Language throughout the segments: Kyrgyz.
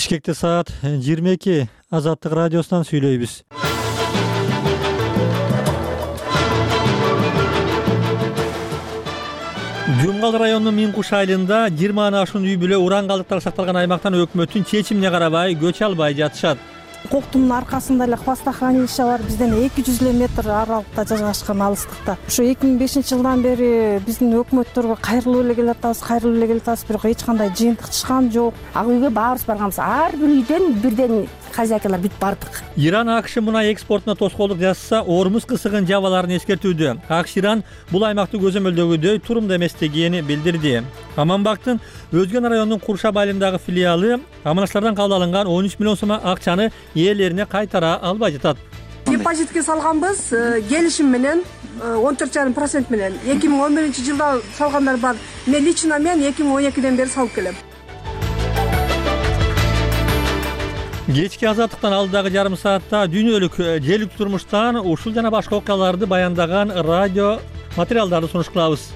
Бишкекте саат 22. Азаттык радиосунан сүйлөйбүз. Жумгал районунун Миңкуш айылында 20 ашуун үй бүлө уран калдыктары сакталган аймактан өкмөттүн чечимине карабай көчө албай жатышат. Коктун аркасында эле хвостохранилище бар, бизден 200 метр аралыкта жайгашкан, алыстыкта. Ушу 2005 жылдан бери биздин өкмөттөргө кайрылып эле келатабыз, бирок эч кандай жыйынтык чыккан жок. Ак үйгө баарыбыз барганбыз. Ар бир үйдөн бирден хозяйкалар бүт бардык. Иран АКШ мунай экспортуна тоскоолдук жасаса, Ормуз кысыгын жабаларын эскертүүдө. АКШ Иран бул аймакты көзөмөлдөгүдөй турумду эместигени билдирди. Аманбактын Өзгөн районунун Куршаб айылындагы филиалы аманачлардан кабыл алынган 13 миллион сом акчаны ээлерине кайтара албай жатат. Депозитке салганбыз келишим менен 14,5% менен. 2011-жылда салгандар бар. Мен лично 2012-ден бери салып келем. Кечки азаттыктан алдыдагы жарым саатта дүйнөлүк желүк турмуштан ушул жана башка окуяларды баяндаган радио материалдарды сунуш кылабыз.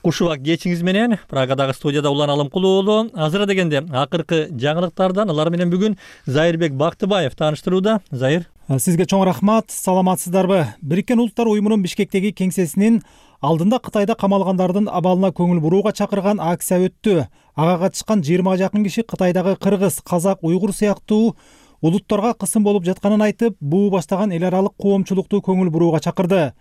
Кушубак кечиңиз менен Прагадагы студияда Улан Алымкулуу уулу. Азыр дегенде акыркы жаңылыктардан алар менен бүгүн Зайырбек Бактыбаев тааныштырууда. Зайыр. Сизге чоң рахмат. Саламатсыздарбы? Бириккен Улуттар уюмунун Бишкектеги кеңсесинин алдында Кытайда камалгандардын абалына көңүл бурууга чакырган акция өттү. Ага катышкан 20 жакын киши Кытайдагы кыргыз, казак, уйгур сыяктуу улуттарга кысым болуп жатканын айтып, буу баштаган эл аралык коомчулукту көңүл бурууга чакырды.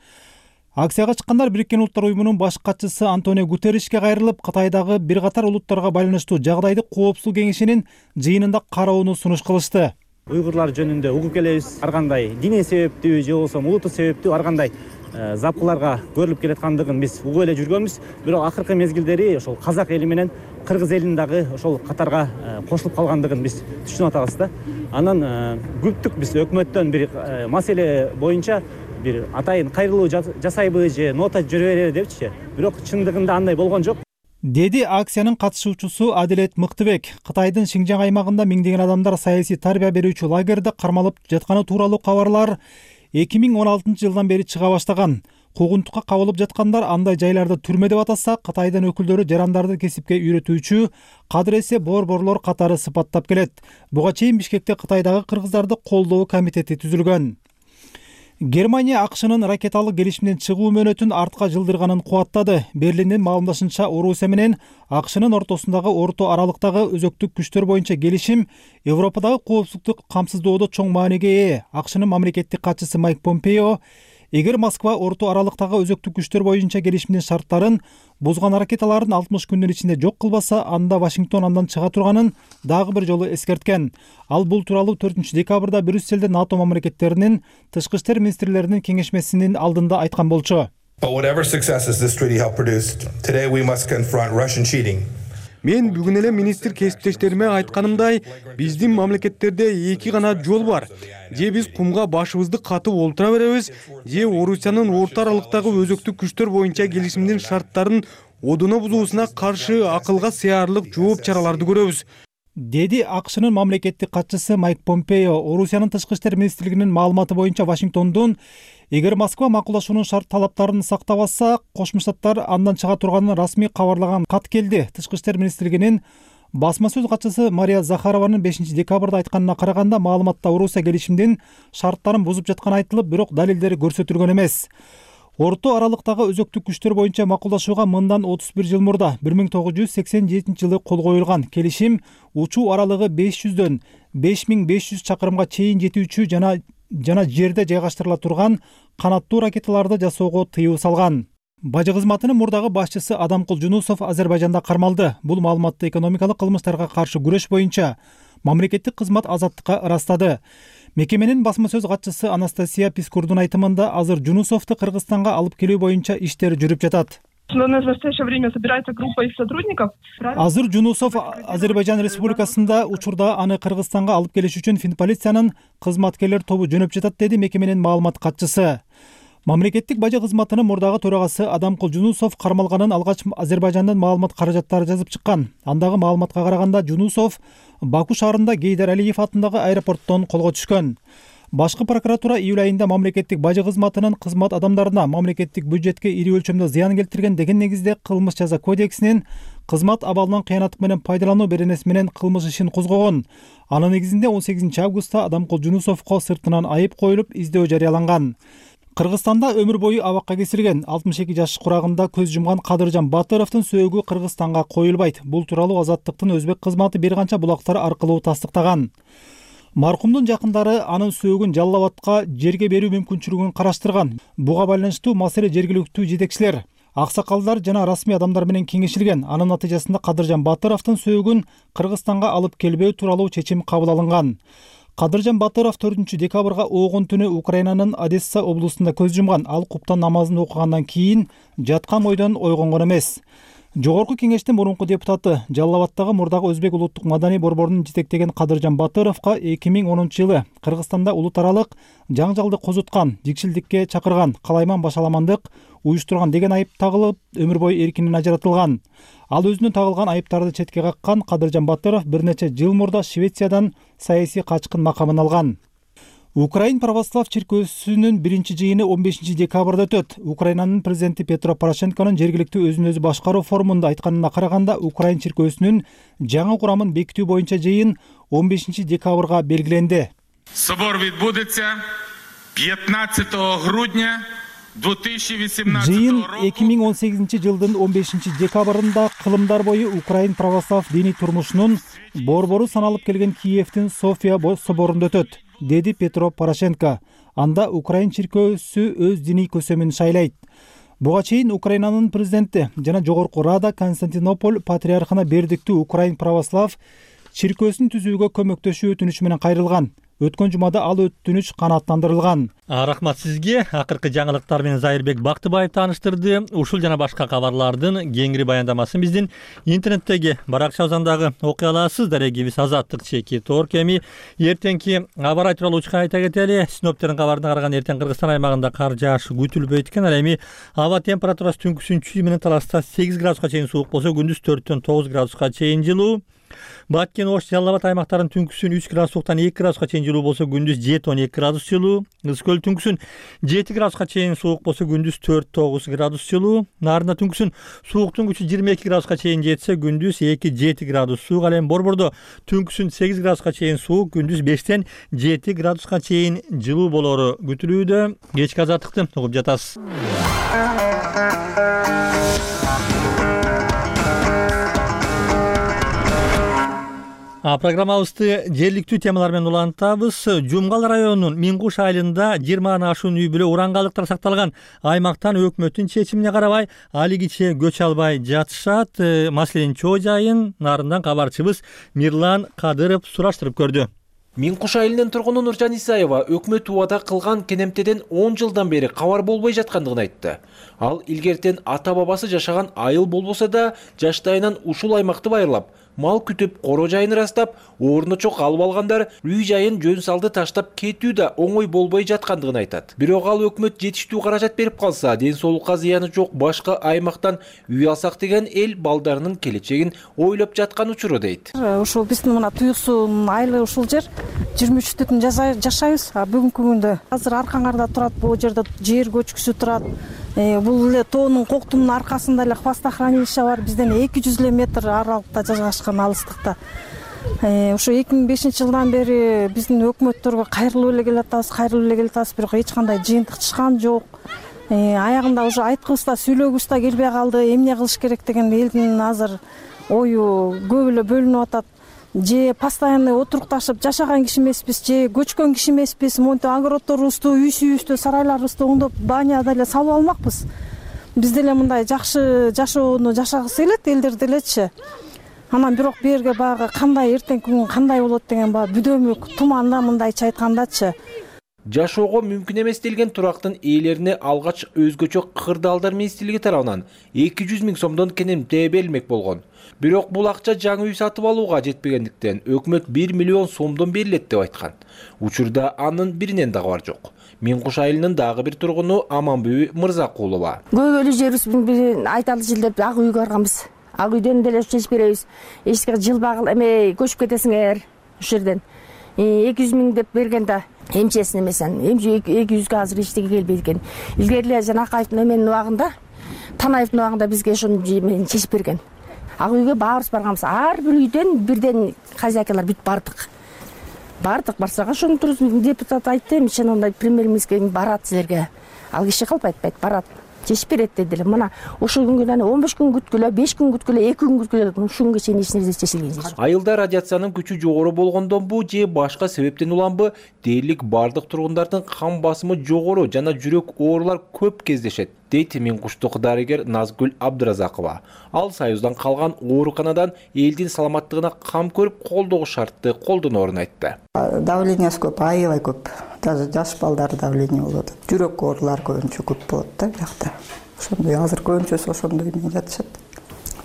Акцияга чыккандар Бириккен Улуттар уюмунун баш катчысы Антонио Гутерришке кайрылып, Кытайдагы бир катар улуттарга байланыштуу жагдайды Коопсуздук кеңешинин жыйынында кароону сунуш кылышты. Уйгурлар жөнүндө угуп келебиз. Ар кандай диний себептүү же болбосо улуттук себептүү ар кандай запкыларга көрүлүп келаткандыгын биз угуп эле жүргөнбүз. Бирок акыркы мезгилдери ошол казак эли менен кыргыз элинин дагы ошол катарга кошулуп калгандыгын биз түшүнүп атабыз да. Анан күттүк биз өкмөттөн бир маселе боюнча бир атайын кайрылуу жасайбы же нота жүрө берели депчи. Бирок чындыгында андай болгон жок. Деди акциянын катышуучусу Адилет Мыктыбек. Кытайдын Шинжаң аймагында миңдеген адамдар саясий тарбия берүүчү лагерде кармалып жатканы тууралуу кабарлар 2016-жылдан бери чыга баштаган. Куугунтукка кабылып жаткандар андай жайларды түрмө деп атаса, Кытайдын өкүлдөрү жарандарды кесипке үйрөтүүчү кадыресе борборлор катары сыпаттап келет. Буга чейин Бишкекте Кытайдагы кыргыздарды колдоо комитети түзүлгөн. Германия АКШнын ракеталык келишимден чыгуу мөөнөтүн артка жылдырганын кубаттады. Берлиндин маалымдашынча, Орусия менен АКШнын ортосундагы орто аралыктагы өзөктүк күчтөр боюнча келишим Европадагы коопсуздукту камсыздоодо чоң мааниге ээ. АКШнын мамлекеттик катчысы Майк Помпео, эгер Москва орто аралыктагы өзөктүк күчтөр боюнча келишимдин шарттарын бузган ракеталарын 60 күндүн ичинде жок кылбаса, анда Вашингтон андан чыга турганын дагы бир жолу эскерткен. Ал бул тууралуу 4-декабрда Брюсселде НАТО мамлекеттеринин тышкы иштер министрлеринин кеңешмесинин алдында айткан болчу. Мен бүгүн эле министр кесиптештериме айтканымдай, биздин мамлекеттерде эки гана жол бар. Же биз кумга башыбызды катып олтура беребиз, же Орусиянын орто аралыктагы өзөктүк күчтөр боюнча келишимдин шарттарын одуна бузуусуна каршы акылга сыярлык жооп чараларды көрөбүз, деди АКШнын мамлекеттик катчысы Майк Помпео. Орусиянын тышкы иштер министрлигинин маалыматы боюнча, Вашингтондун эгер Москва макулдашуунун шарт талаптарын сактабаса, Кошмо Штаттар андан чыга турганын расмий кабарлаган кат келди. Тышкы иштер министрлигинин басма сөз катчысы Мария Захарованын 5-декабрда айтканына караганда, маалыматта Орусия келишимдин шарттарын бузуп жатканы айтылып, бирок далилдери көрсөтүлгөн эмес. Орто аралыктагы өзөктүк күчтөр боюнча макулдашууга мындан 31 жыл мурда 1987-жылы кол коюлган. Келишим учуу аралыгы 500дөн 5500 чакырымга чейин жетүүчү жана жерде жайгаштырыла турган канаттуу ракеталарды жасоого тыюу салган. Бажы кызматынын мурдагы башчысы Адамкул Жунусов Азербайжанда кармалды. Бул маалыматты экономикалык кылмыштарга каршы күрөш боюнча мамлекеттик кызмат азаттыкка ырастады. Мекеменин басма сөз катчысы Анастасия Пискурдун айтымында, азыр Жунусовду Кыргызстанга алып келүү боюнча иштер жүрүп жатат. В настоящее время собирается группа их сотрудников. Азыр Жунусов Азербайжан Республикасында учурда аны Кыргызстанга алып келиш үчүн Финполициянын кызматкерлер тобу жөнөп жатат, деди мекеменин маалымат катчысы. Мамлекеттик бажы кызматынын мурдагы төрагасы Адамкул Жунусов кармалганын алгач Азербайжандын маалымат каражаттары жазып чыккан. Андагы маалыматка караганда, Жунусов Баку шаарында Гейдар Алиев атындагы аэропорттон колго түшкөн. Башкы прокуратура июль айында мамлекеттик бажы кызматынын кызмат адамдарына мамлекеттик бюджетке ири өлчөмдө зыян келтирген деген негизде кылмыш жаза кодексинин кызмат абалынан кыянаттык менен пайдалануу беренеси менен кылмыш ишин козгогон. Анын негизинде 18 августта Адамкул Жунусовго сыртынан айып коюлуп издөө жарыяланган. Кыргызстанда өмүр бою абакка кесилген 62 жаш курагында көз жумган Кадыржан Батыровдун сөөгү Кыргызстанга коюлбайт. Бул тууралуу Азаттыктын өзбек кызматы бир канча булактар аркылуу тастыктаган. Маркумдун жакындары анын сөөгүн Жалал Абадка жерге берүү мүмкүнчүлүгүн караштырган. Буга байланыштуу маселе жергиликтүү жетекчилер, аксакалдар жана расмий адамдар менен кеңешилген. Анын натыйжасында Кадыржан Батыровдун сөөгүн Кыргызстанга алып келбөө тууралуу чечим кабыл алынган. Кадыржан Батыров 4 декабрга оогун түнү Украинанын Одесса облусунда көз жумган. Ал куптан намазын окугандан кийин жаткан ойдон ойгонгон эмес. Жогорку кеңештин мурунку депутаты, Жалал Абадтагы мурдагы өзбек улуттук маданий борборунун жетектеген Кадыржан Батыровго 2010-жылы Кыргызстанда улут аралык жаңжалды козуткан, жикшилдикке чакырган, калайман башаламандык уюштурган деген айып тагылып, өмүр бою эркинен ажыратылган. Ал өзүнө тагылган айыптарды четке каккан Кадыржан Батыров бир нече жыл мурда Швециядан саясий качкын макамын алган. Украин православ чиркөөсүнүн биринчи жыйыны 15 декабрда өтөт. Украинанын президенти Петро Порошенконун жергиликтүү өзүн өзү башкаруу форумунда айтканына караганда, Украин чиркөөсүнүн жаңы курамын бекитүү боюнча жыйын 15 декабрга белгиленди. Собор відбудеться 15 грудня 2018 Жыйын 2018 жылдын 15 декабрында кылымдар бою Украин православ диний турмушунун борбору саналып келген Киевдин София соборунда өтөт, деди Петро Порошенко. Анда Украин чиркөөсү өз диний көсөмүн шайлайт. Буга чейин Украинанын президенти жана Жогорку Рада Константинополь патриархына бердиктүү Украин православ чиркөөсүн түзүүгө көмөктөшүү өтүнүчү менен кайрылган. Өткөн жумада ал өтүнүч канааттандырылган. Рахмат сизге. Акыркы жаңылыктар менен Зайырбек Бактыбаев тааныштырды. Ушул жана башка кабарлардын кеңири баяндамасын биздин интернеттеги баракча узандагы окуй аласыз. Дарегибиз Азаттык чеки Торк. Эми эртеңки аба ырайы тууралуу учка айта кетели. Синоптиктердин кабарына караганда эртең Кыргызстан аймагында кар жааш күтүлбөйт экен. Ал эми аба температурасы түнкүсүн 3 менен таласта 8 градуска чейин суук болсо, күндүз 4-төн 9 градуска чейин жылуу. Баткен, Ош, Жалал Абад аймактарынын түнкүсүн 3 градустан 2 градуска чейин жылуу болсо, күндүз 7-12 градус жылуу. Ысык көл түнкүсүн 7 градуска чейин суук болсо, күндүз 4-9 градус жылуу. Нарында түнкүсүн сууктун күчү 22 градуска чейин жетсе, күндүз 2-7 градус суук. Ал эми Борбордо түнкүсүн 8 градуска чейин суук, күндүз 5-тен 7 градуска чейин жылуу болору күтүлүүдө. Кечки Азаттыкты угуп жатасыз. Программабызды жергиликтүү темалар менен улантабыз. Жумгал районунун Миңкуш айылында 20 ашуун үй бүлө урангайлыктар сакталган. Аймактан өкмөттүн чечимине карабай алигиче көчө албай жатышат. Маселенин чоо жайын нарындан кабарчыбыз Мирлан Кадыров сураштырып көрдү. Миңкуш айылынын тургуну Нуржан Исаева өкмөт убада кылган кенемтеден 10 жылдан бери кабар болбой жаткандыгын айтты. Ал илгертен ата-бабасы жашаган айыл болбосо да жаштайынан ушул аймакты байырлап, мал күтүп, коро жайын ырастап, орночо калып алгандар үй жайын жөн салды таштап кетүү да оңой болбой жаткандыгын айтат. Бирок ал өкмөт жетиштүү каражат берип калса, ден соолукка зыяны жок башка аймактан үй алсак деген эл балдарынын келечегин ойлоп жаткан учуру дейт. Ушул биздин мына Туюксунун айылы ушул жер 23-түн жашайбыз. Бүгүнкү күндө азыр Аркаңарда турат, бул жерде жер көчкүсү турат. Бул эле тоонун коктумунун аркасында эле хвостохранилище бар. Бизден 200 метр аралыкта жайгашкан, алыстыкта. Ошо 2005 жылдан бери биздин өкмөттөргө кайрылып эле келатабыз, бирок эч кандай жыйынтык чыккан жок. Аягында уже айткыбыз да, сүйлөгүбүз да келбей калды. Эмне кылыш керек деген элдин азыр ою көп эле бөлүнүп атат. Же постоянный отурукташып жашаган киши эмеспиз, же көчкөн киши эмеспиз. Монтип огороддорубузду, үй сүйүбүздү, сарайларыбызды оңдоп баняда эле салып алмакпыз. Биз деле мындай жакшы жашоону жашагысы келет элдер делечи. Анан бирок берге баягы кандай эртеңки күн кандай болот деген баягы бүдөмүк, туманда мындайча айткандачы. Жашоого мүмкүн эмес делген турактын ээлерине алгач өзгөчө кырдаалдар министрлиги тарабынан 200 000 сомдон кенемте берилмек болгон. Бирок бул акча жаңы үй сатып алууга жетпегендиктен өкмөт 1 миллион сомдон берилет деп айткан. Учурда анын биринен да кабар жок. Миңкуш айылынын дагы бир тургуну Аманбүй Мырзакулова. Көбөлү жерибиз айталы жылдап ак үйгө барганбыз. Ак үйдөн деле чечип беребиз. Эчке жылбагыл эме көчүп кетесиңер ушул жерден. 200 000 деп бергенде эмчесин эмесен, эмче 200-гө азыр эчтеке келбейт экен. Илгери эле Жанакаевдин эменин убагында, Танаевдин убагында бизге ошону чечип берген. ак үйгө баарыбыз барганбыз. Ар бир үйдөн бирден хозяйкалар бүт бардык. Барсак ошону туруп депутат айтты, ишен ондай премьер-министр барат силерге. Ал киши калп айтпайт, барат. Чечип берет дедилер. Мына ушул күнгө 15 күн күткүлө, 5 күн күткүлө, 2 күн күткүлө, ушул күнгө чейин эч нерсе чечилген жок. Айылда радиациянын күчү жогору болгондонбу же башка себептен уламбы, дээрлик бардык тургундардын кан басымы жогору жана жүрөк оорулар көп кездешет, дейт Миңкуштук дарыгер Назгүл Абдыразакова. Ал Союздан калган ооруканадан элдин саламаттыгына кам көрүп колдоо шартты колдоноорун айтты. Давлениясы көп, аябай көп. Даже жаш балдар давление болот. Жүрөк оорулар көбүнчө көп болот да биякта. Ошондой азыр көбүнчөсү ошондой менен жатышат.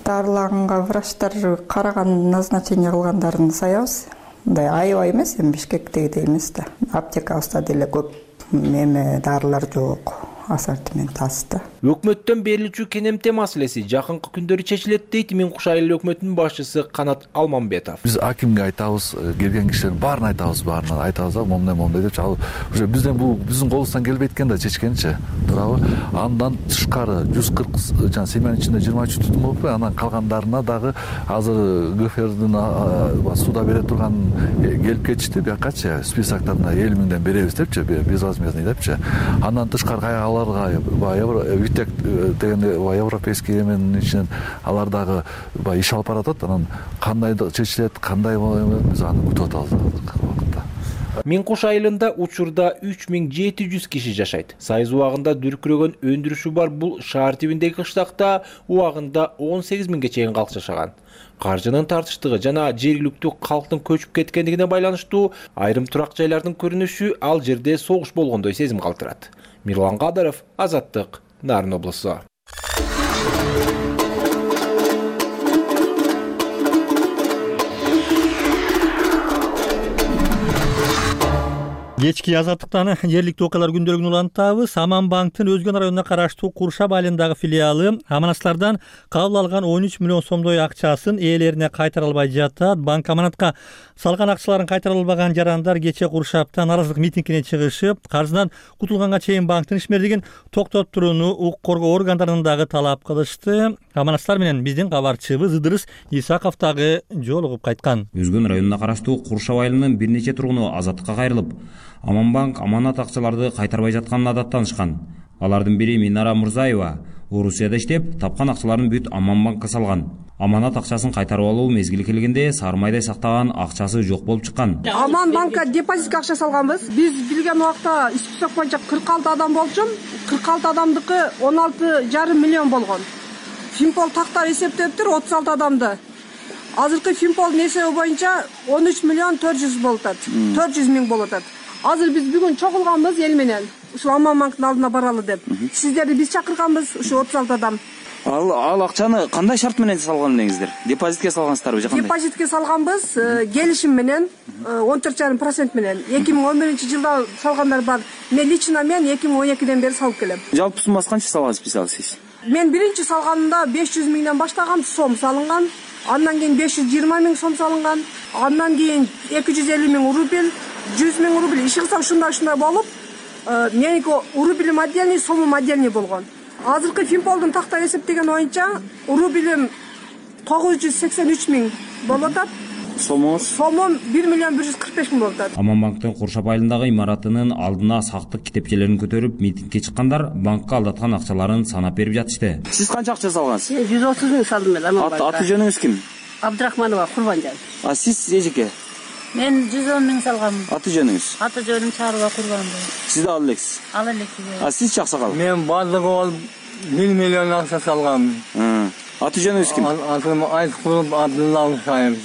Дарылаганга врачтар караган, назначение кылгандарын саябыз. Мындай аябай эмес, эми Бишкектегидей эмес да. Аптекабызда деле көп дарылар жок. Ассортимент аз да. Өкмөттөн берилүүчү кенемте маселеси жакынкы күндөрү чечилет, дейт Миңкуш айыл өкмөтүнүн башчысы Канат Алмамбетов. Биз акимге айтабыз, келген кишилердин баарын айтабыз, момундай деп. Ал уже биздин колубуздан келбейт экен да чечкенчи. Туурабы? Андан тышкары 140 жана семьянын ичинде 23 түтүн болуп, анан калгандарына дагы азыр ГФРдин суда бере турган келип кетишти, биякачы списоктарына 50 000ден беребиз депчи, безвозмездный депчи. Андан тышкары Витек деген европейский эменин ичинен алар дагы иш алып баратат. Анан кандай чечилет, кандай биз аны күтүп атабыз. Миңкуш айылында учурда 3700 киши жашайт. Союз убагында дүркүрөгөн өндүрүшү бар бул шаар тибиндеги кыштакта убагында 18 000ге чейин калк жашаган. Каржынын тартыштыгы жана жергиликтүү калктын көчүп кеткендигине байланыштуу айрым турак жайлардын көрүнүшү ал жерде согуш болгондой сезим калтырат. Мирлан Кадыров, Азаттык, Нарын облусу. Кечки Азаттыктан жергиликтүү окуялар күндөлүгүн улантабыз. Аманбанктын Өзгөн районуна караштуу Куршап айылындагы филиалы аманаттардан кабыл алган 13 миллион сомдой акчасын ээлерине кайтара албай жатат. Банк аманатка салган акчаларын кайтара албаган жарандар кечээ Куршапта нааразылык митингине чыгышып, каржыдан кутулганга чейин банктын ишмердигин токтотуп турууну укук коргоо органдарынан дагы талап кылышты. Аманаттар менен биздин кабарчыбыз Ыдырыс Исаков дагы жолугуп кайткан. Өзгөн районуна караштуу Куршап айылынын бир нече тургуну Азаттыкка кайрылып, Аманбанк аманат акчаларды кайтарбай жатканын адаттанышкан. Алардын бири Минара Мурзаева Орусияда иштеп, тапкан акчаларын бүт Аманбанкка салган. Аманат акчасын кайтарып алуу мезгили келгенде сармайдай сактаган акчасы жок болуп чыккан. Аманбанкка депозитке акча салганбыз. Биз билген убакта список боюнча 46 адам болчу. 46 адамдыкы 16,5 миллион болгон. Финпол тактар эсептептир 36 адамды. Азыркы Финполдун эсеби боюнча 13 миллион 400 болуп атат. 400 миң болуп атат. Азыр биз бүгүн чогулганбыз эл менен. Ушул Аманбанктын алдына баралы деп. Сиздерди биз чакырганбыз, ушу 36 адам. Ал акчаны кандай шарт менен салган элеңиздер? Депозитке салгансыздарбы же кандай? Депозитке салганбыз, келишим менен 14,5% менен. 2011-жылда салгандар бар. Мен лично 2012ден бери салып келем. Жалпы суммасы канча салгансыз сиз? Мен биринчи салганымда 500 миңден баштаган сом салынган. Андан кийин 520 миң сом салынган. Андан кийин 250 миң рубль, 100 миң рубль. Иши кылсак ушундай болуп, меники рубльим отдельный, сомум отдельный болгон. Азыркы Финполдун тактар эсептеген боюнча рубльим 983 миң болуп атат. Сомум 1 миллион 145 миң болуп атат. Аманбанктын Куршап айылындагы имаратынын алдына сактык китепчелерин көтөрүп митингге чыккандар банкка алдаткан акчаларын санап берип жатышты. Сиз канча акча салгансыз? 130 миң салдым мен Аманбанкка. Аты жөнүңүз ким? Абдрахманова Курбанжан. Сиз эжеке? Мен 110 миң салганмын. Аты жөнүңүз? Аты жөнүм Чарова Курбанова. Сиз да ал элексиз? Ал элексиз. Сиз Чаксакал? Мен бардыгы 1 миллион акча салганмын. Аты жөнүңүз ким? Атым Айткулов Абдулла Мусаев.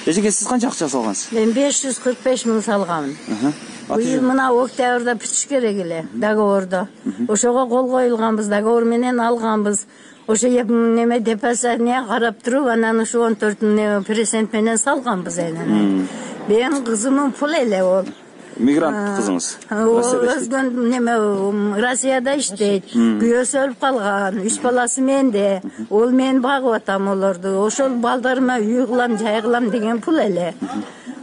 Эжеке сиз канча акча салгансыз? Мен 545 миң салганмын. Быйыл мына октябрда бүтүш керек эле договорду. Ошого кол коюлганбыз, договор менен алганбыз. Ошо неме депозитine карап туруп, анан ушу 14% менен салганбыз энен. Менин кызымдын пул эле ол. Мигрант кызыңыз? Өзгөн неме Россияда иштейт. Күйөөсү өлүп калган, 3 баласы менде. Ол мен багып атам олорду. Ошол балдарыма үй кылам, жай кылам деген пул эле.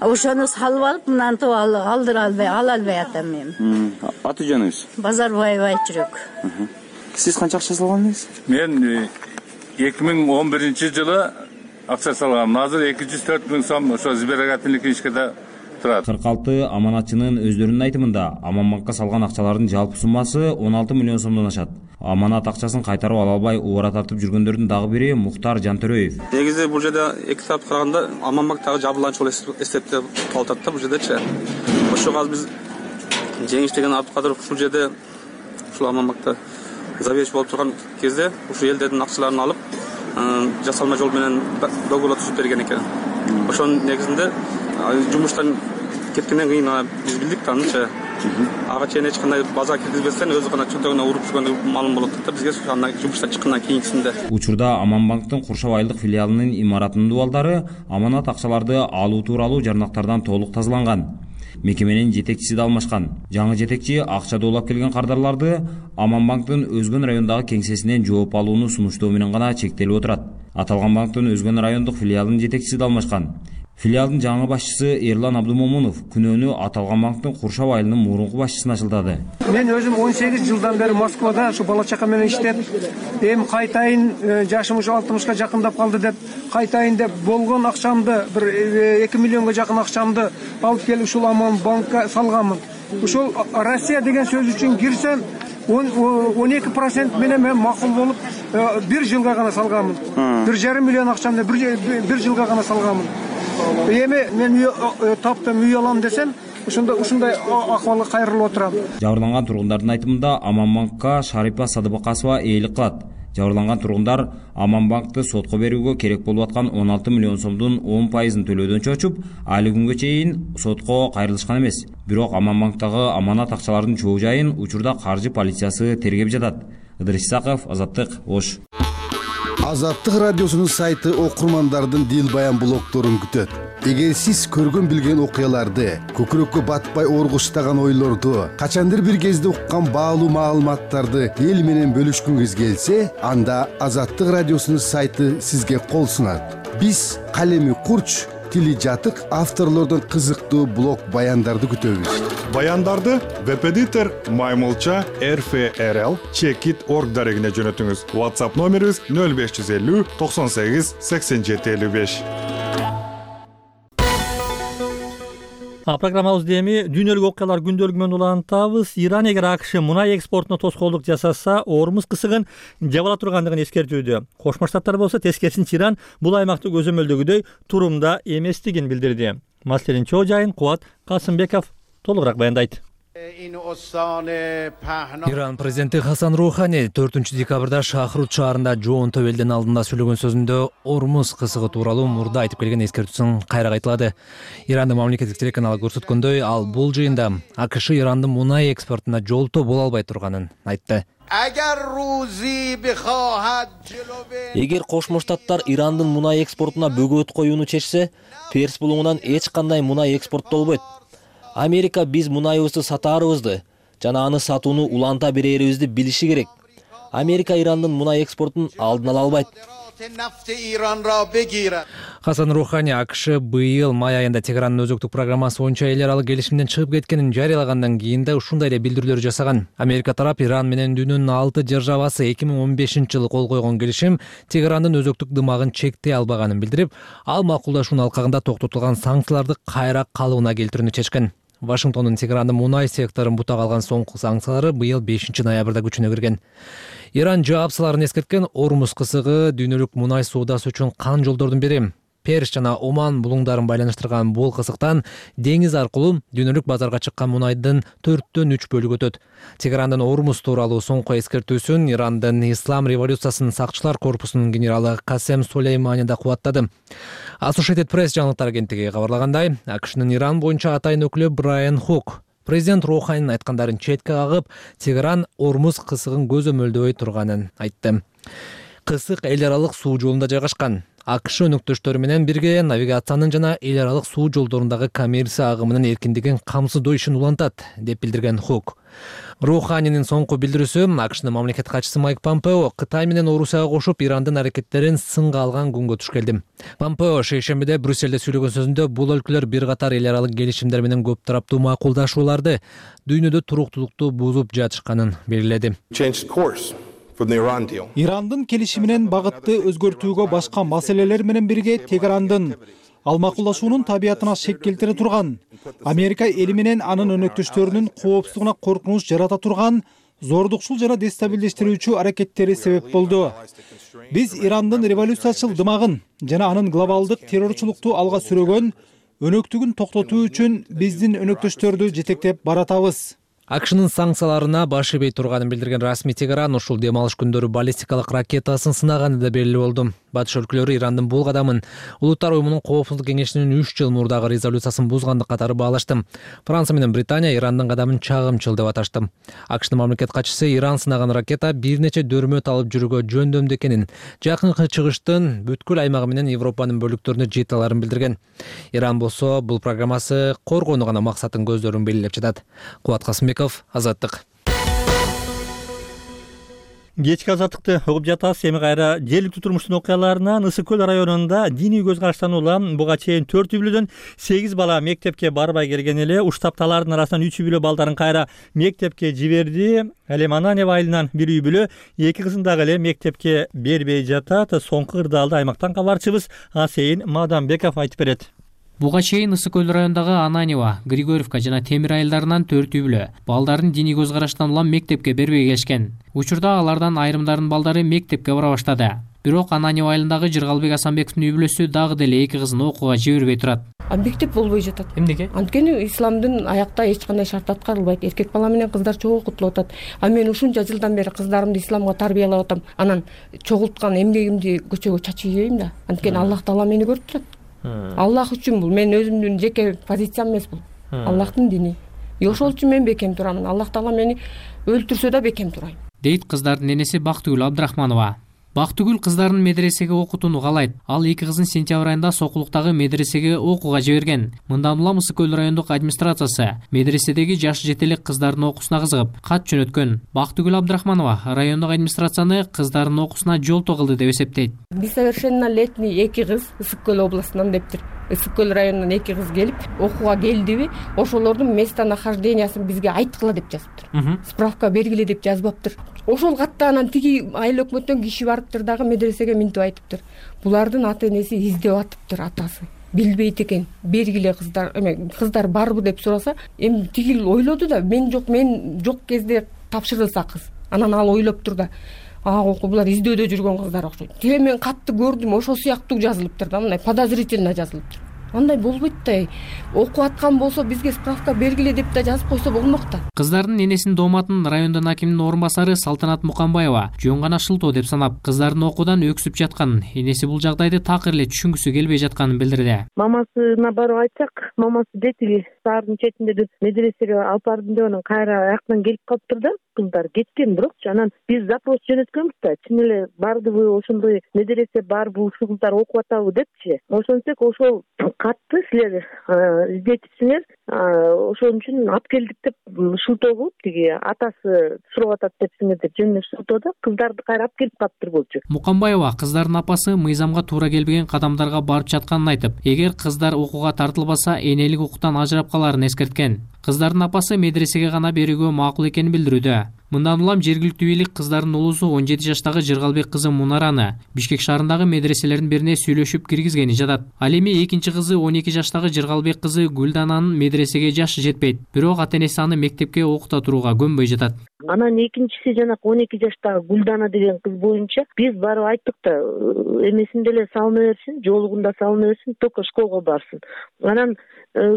Ошону салып алып, мынантип ала албай атам мен. Аты жөнүңүз? Базарбаева Айчүрөк. Сиз канча акча салган элеңиз? Мен 2011-жылы акча салгам. Азыр 204 000 сом ошо сберегательный книжкада турат. 46 аманатчынын өздөрүнүн айтымында Аманбанкка салган акчалардын жалпы суммасы 16 миллион сомдон ашат. Аманат акчасын кайтарып ала албай убара тартып жүргөндөрдүн дагы бири Мухтар Жантөрөев. Негизи бул жерде эки тарапты караганда Аманбанктагы жабырланчу эсептеп калып атат да бул жердечи. Ошого азыр биз Жеңиш деген Абдыкадыров ушул жерде ушул Аманбанкта заведующий болуп турган кезде ушул элдердин акчаларын алып, жасалма жол менен договор түзүп берген экен. Ошонун негизинде жумуштан кеткенден кийин биз билдик да анычы. Ага чейин эч кандай база киргизбестен өзү гана чөнтөгүнө уруп жүргөнү маалым болот да бизге аны жумуштан чыккандан кийинкисинде. Учурда Аманбанктын Куршаб айылдык филиалынын имаратынын дубалдары аманат акчаларды алуу тууралуу жарнактардан толук тазаланган. Мекеменин жетекчиси да алмашкан. Жаңы жетекчи акча улап келген кардарларды Аманбанктын Өзгөн райондагы кеңсесинен жооп алууну сунуштоо менен гана чектелип отурат. Аталган банктын Өзгөн райондук филиалынын жетекчиси да алмашкан. Филиалдын жаңы башчысы Эрлан Абдумомунов күнөөнү аталган банктын Куршаб айылынын мурунку башчысына жылдады. Мен өзүм 18 жылдан бери Москвада ушу бала чака менен иштеп, эми кайтайын жашым ушу 60ка жакындап калды деп, кайтайын деп болгон акчамды бир 2 миллионго жакын акчамды алып келип ушул Аманбанкка салганмын. Ушул Россия деген сөз үчүн кирсем 12% менен мен макул болуп 1 жылга гана салганмын. 1,5 миллион акчамды 1 жылга гана салганмын. Эми мен таптым үй алам десем, ушундай акыбалга кайрылып отурам. Жабырланган тургундардын айтымында Аманбанкка Шарипа Садыбакасова ээлик кылат. Жабырланган тургундар Аманбанкты сотко берүүгө керек болуп аткан 16 миллион сомдун 10%ын төлөөдөн чочуп, али күнгө чейин сотко кайрылышкан эмес. Бирок Аманбанктагы аманат акчалардын чоо жайын учурда каржы полициясы тергеп жатат. Ыдырыс Исаков, Азаттык, Ош. Азаттык радиосунун сайты окурмандардын дил баян блогдорун күтөт. Эгер сиз көргөн билген окуяларды, көкүрөккө батпай оргуштаган ойлорду, качандыр бир кезде уккан баалуу маалыматтарды эл менен бөлүшкүңүз келсе, анда Азаттык радиосунун сайты сизге кол сунат. Биз калеми курч, тили жатык авторлордон кызыктуу блог баяндарды күтөбүз. Баяндарды веб-эдитор Маймылча RFRL Checkit.org дарегине жөнөтүңүз. WhatsApp номерибиз 0550 98 87 55. Программабызды эми дүйнөлүк окуялар күндөлүгү менен улантабыз. Иран эгер АКШ мунай экспортуна тоскоолдук жасаса, Ормуз кысыгын жабыла тургандыгын эскертүүдө. Кошмо Штаттар болсо тескерисинче Иран бул аймакты көзөмөлдөгүдөй турумда эместигин билдирди. Маселенин чоо жайын Кубат Касымбеков толугураак баяндайт. Иран президенти Хасан Рухани 4-декабрда Шахрут шаарында жоон төбелдин алдында сүйлөгөн сөзүндө Ормуз кысыгы тууралуу мурда айтып келген эскертүүсүн кайра кайталады. Ирандын мамлекеттик телеканалы көрсөткөндөй, ал бул жыйында АКШ Ирандын мунай экспортуна жолтоо боло албай турганын айтты. Эгер Кошмо Штаттар Ирандын мунай экспортуна бөгөт коюуну чечсе, Перс булуңунан эч кандай мунай экспорттолбойт. Америка биз мунайыбызды сатаарыбызды жана аны сатууну уланта берерибизди билиши керек. Америка Ирандын мунай экспортун алдын ала албайт. Хасан Рухани АКШ быйыл май айында Тегерандын өзөктүк программасы боюнча эл аралык келишимден чыгып кеткенин жарыялагандан кийин да ушундай эле билдирүүлөр жасаган. Америка тарап Иран менен дүйнөнүн 6 державасы 2015-жылы кол койгон келишим Тегерандын өзөктүк дымагын чектей албаганын билдирип, ал макулдашуунун алкагында токтотулган санкцияларды кайра калыбына келтирүүнү чечкен. Вашингтондун Тегерандын мунай секторун бута калган соңку санкциялары быйыл 5-ноябрда күчүнө кирген. Иран жаапсыларын эскерткен Ормуз кысыгы дүйнөлүк мунай соодасы үчүн кан жолдордун бири. Перс жана Оман булуңдарын байланыштырган бул кысыктан деңиз аркылуу дүйнөлүк базарга чыккан мунайдын 4/3 бөлүгү өтөт. Тегерандын Ормуз тууралуу соңку эскертүүсүн Ирандын Ислам революциясынын сакчылар корпусунун генералы Касем Сулеймани да кубаттады. Associated Press жаңылыктар агенттиги кабарлагандай, АКШнын Иран боюнча атайын өкүлү Брайан Хук президент Руханинин айткандарын четке кагып, Тегеран Ормуз кысыгын көзөмөлдөбөй турганын айтты. Кысык эл аралык суу жолунда жайгашкан. АКШ өнөктөштөрү менен бирге навигациянын жана эл аралык суу жолдорундагы коммерция агымынын эркиндигин камсыздоо ишин улантат, деп билдирген Хук. Руханинин соңку билдирүүсү АКШнын мамлекет катчысы Майк Помпео Кытай менен Орусияга кошуп Ирандын аракеттерин сынга алган күнгө туш келди. Помпео шейшембиде Брюссельде сүйлөгөн сөзүндө бул өлкөлөр бир катар эл аралык келишимдер менен көп тараптуу макулдашууларды дүйнөдө туруктуулукту бузуп жатышканын белгиледи. Ирандын келишиминен багытты өзгөртүүгө башка маселелер менен бирге Тегерандын ал макулдашуунун табиятына шек келтире турган, Америка эли менен анын өнөктөштөрүнүн коопсуздугуна коркунуч жарата турган зордукчул жана дестабилдештирүүчү аракеттери себеп болду. Биз Ирандын революциячыл дымагын жана анын глобалдык террорчулукту алга сүрөгөн өнөктүгүн токтотуу үчүн биздин өнөктөштөрдү жетектеп баратабыз. АКШнын санкцияларына баш ийбей турганын билдирген расмий Тегеран ушул дем алыш күндөрү баллистикалык ракетасын сынаганы да белгилүү болду. Батыш өлкөлөрү Ирандын бул кадамын Улуттар уюмунун Коопсуздук кеңешинин 3 жыл мурдагы резолюциясын бузгандык катары баалашты. Франция менен Британия Ирандын кадамын чагымчыл деп аташты. АКШнын мамлекет катчысы Иран сынаган ракета бир нече дөөрмөт алып жүрүүгө жөндөмдүү экенин, жакынкы чыгыштын бүткүл аймагы менен Европанын бөлүктөрүнө жете аларын билдирген. Иран болсо бул программасы коргоону гана максатын көздөрүн белгилеп жатат. Кубат Касымбеков, Азаттык. Кечки азаттыкты угуп жатасыз. Эми кайра жергиликтүү турмуштун окуяларынан Ысык көл районунда диний көз караштан улам буга чейин 4 үй бүлөдөн 8 бала мектепке барбай келген эле. Уштапталардын арасынан 3 үй бүлө балдарын кайра мектепке жиберди. Ал эми Ананьев айылынан 1 үй бүлө 2 кызын дагы эле мектепке бербей жатат. Соңку кырдаалды аймактан кабарчыбыз Асейин Мадамбеков айтып берет. Буга чейин Ысык көл районундагы Ананьева, Григорьевка жана Темир айылдарынан 4 үй бүлө балдарын диний көз караштан улам мектепке бербей келишкен. Учурда алардан айрымдарынын балдары мектепке бара баштады. Бирок Ананьева айылындагы Жыргалбек Асанбековдун үй бүлөсү дагы деле 2 кызын окууга жибербей турат. Мектеп болбой жатат. Эмнеге? Анткени исламдын аякта эч кандай шарт аткарылбайт. Эркек бала менен кыздар чогуу окутулуп атат. Мен ушунча жылдан бери кыздарымды исламга тарбиялап атам. Анан чогулткан эмгегимди көчөгө чачып жибейм да. Анткени Аллах Таала мени көрүп турат. Аллах үчүн бул мен өзүмдүн жеке позициям эмес бул. Аллахтын дини. Ошол үчүн мен бекем турамын. Аллах Таала мени өлтүрсө да бекем турайм. Дейт кыздардын энеси Бактыгүл Абдрахманова. Бактыгүл кыздарын медресеге окутууну каалайт. Ал 2 кызын сентябрь айында Сокулуктагы медресеге окууга жиберген. Мындан улам Ысык көл райондук администрациясы медреседеги жаш жетелек кыздардын окуусуна кызыгып кат жөнөткөн. Бактыгүл Абдрахманова райондук администрацияны кыздардын окуусуна жолтоо кылды деп эсептейт. Несовершеннолетний 2 кыз Ысык көл областынан дептир. Ысык көл районунан 2 кыз келип окууга келдиби, ошолордун местонахождениясын бизге айткыла деп жазыптыр. Справка бергиле деп жазбаптыр. Ошол катта анан тиги айыл өкмөттөн киши барыптыр дагы медресеге минтип айтыптыр. Булардын ата энеси издеп атыптыр, атасы. Билбейт экен. Бергиле кыздар барбы деп сураса, эми тигил ойлоду да, мен жок кезде тапшырылса кыз. Анан ал ойлоптур да. Булар издөөдө жүргөн кыздар окшойт. Тире мен катты көрдүм, ошол сыяктуу жазылыптыр да, мындай подозрительно жазылыптыр. Андай болбойт да. Окуп аткан болсо бизге справка бергиле деп да жазып койсо болмок да. Кыздардын энесинин дооматын райондун акиминин орун басары Салтанат Мукамбаева жөн гана шылтоо деп санап, кыздардын окуудан өксүп жатканын, энеси бул жагдайды такыр эле түшүнгүсү келбей жатканын билдирди. Мамасына барып айтсак, мамасы дети саардын четинде медресеге алып бардым деп анан кайра аяктан келип калыптыр да. Кыздар кеткен, бирокчу анан биз запрос жөнөткөнбүз да, чын эле бардыбы, ошондой медресе барбы, ушул кыздар окуп атабы депчи. Ошентсек ошол катты силер издетипсиңер, ошон үчүн алып келдик деп шылтоо кылып, тиги атасы сурап атат депсиңер деп жөн эле шылтоодо кыздарды кайра алып келип калыптыр болчу. Мукамбаева кыздардын апасы мыйзамга туура келбеген кадамдарга барып жатканын айтып, эгер кыздар окууга тартылбаса, энелик укуктан ажырап каларын эскерткен. Кыздардын апасы медресеге гана берүүгө макул экенин билдирүүдө. Мындан улам жергиликтүү бийлик кыздардын улусу 17 жаштагы Жыргалбек кызы Мунараны Бишкек шаарындагы медреселердин бирине сүйлөшүп киргизгени жатат. Ал эми экинчи кызы 12 жаштагы Жыргалбек кызы Гүлдананын медресеге жашы жетпейт. Бирок ата-энеси аны мектепке окута турууга көнбөй жатат. Анан экинчиси жана 12 жаштагы Гүлдана деген кыз боюнча биз барып айттык да, эмесин деле салына берсин, жолугунда салына берсин, только школго барсын. Анан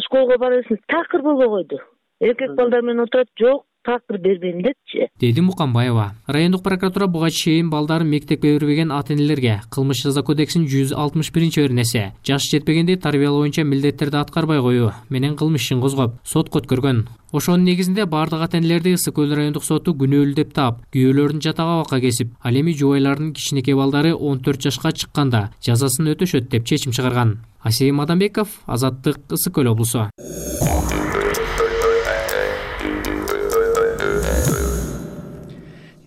школго бара берсин, такыр болбой койду. Эркек балдар менен отурат, жок, такыр бербейм депчи. Деди Мукамбаева. Райондук прокуратура буга чейин балдарын мектепке бербеген ата-энелерге Кылмыш жаза кодексинин 161-беренеси жаш жетпегенди тарбиялоо боюнча милдеттерди аткарбай коюу менен кылмыш ишин козгоп, сотко өткөргөн. Ошонун негизинде бардык ата-энелерди Ысык көл райондук соту күнөөлүү деп таап, күйөөлөрдүн жатак абакка кесип, ал эми жубайлардын кичинекей балдары 14 жашка чыкканда жазасын өтөшөт деп чечим чыгарган. Асейин Мадамбеков, Азаттык, Ысык көл облусу.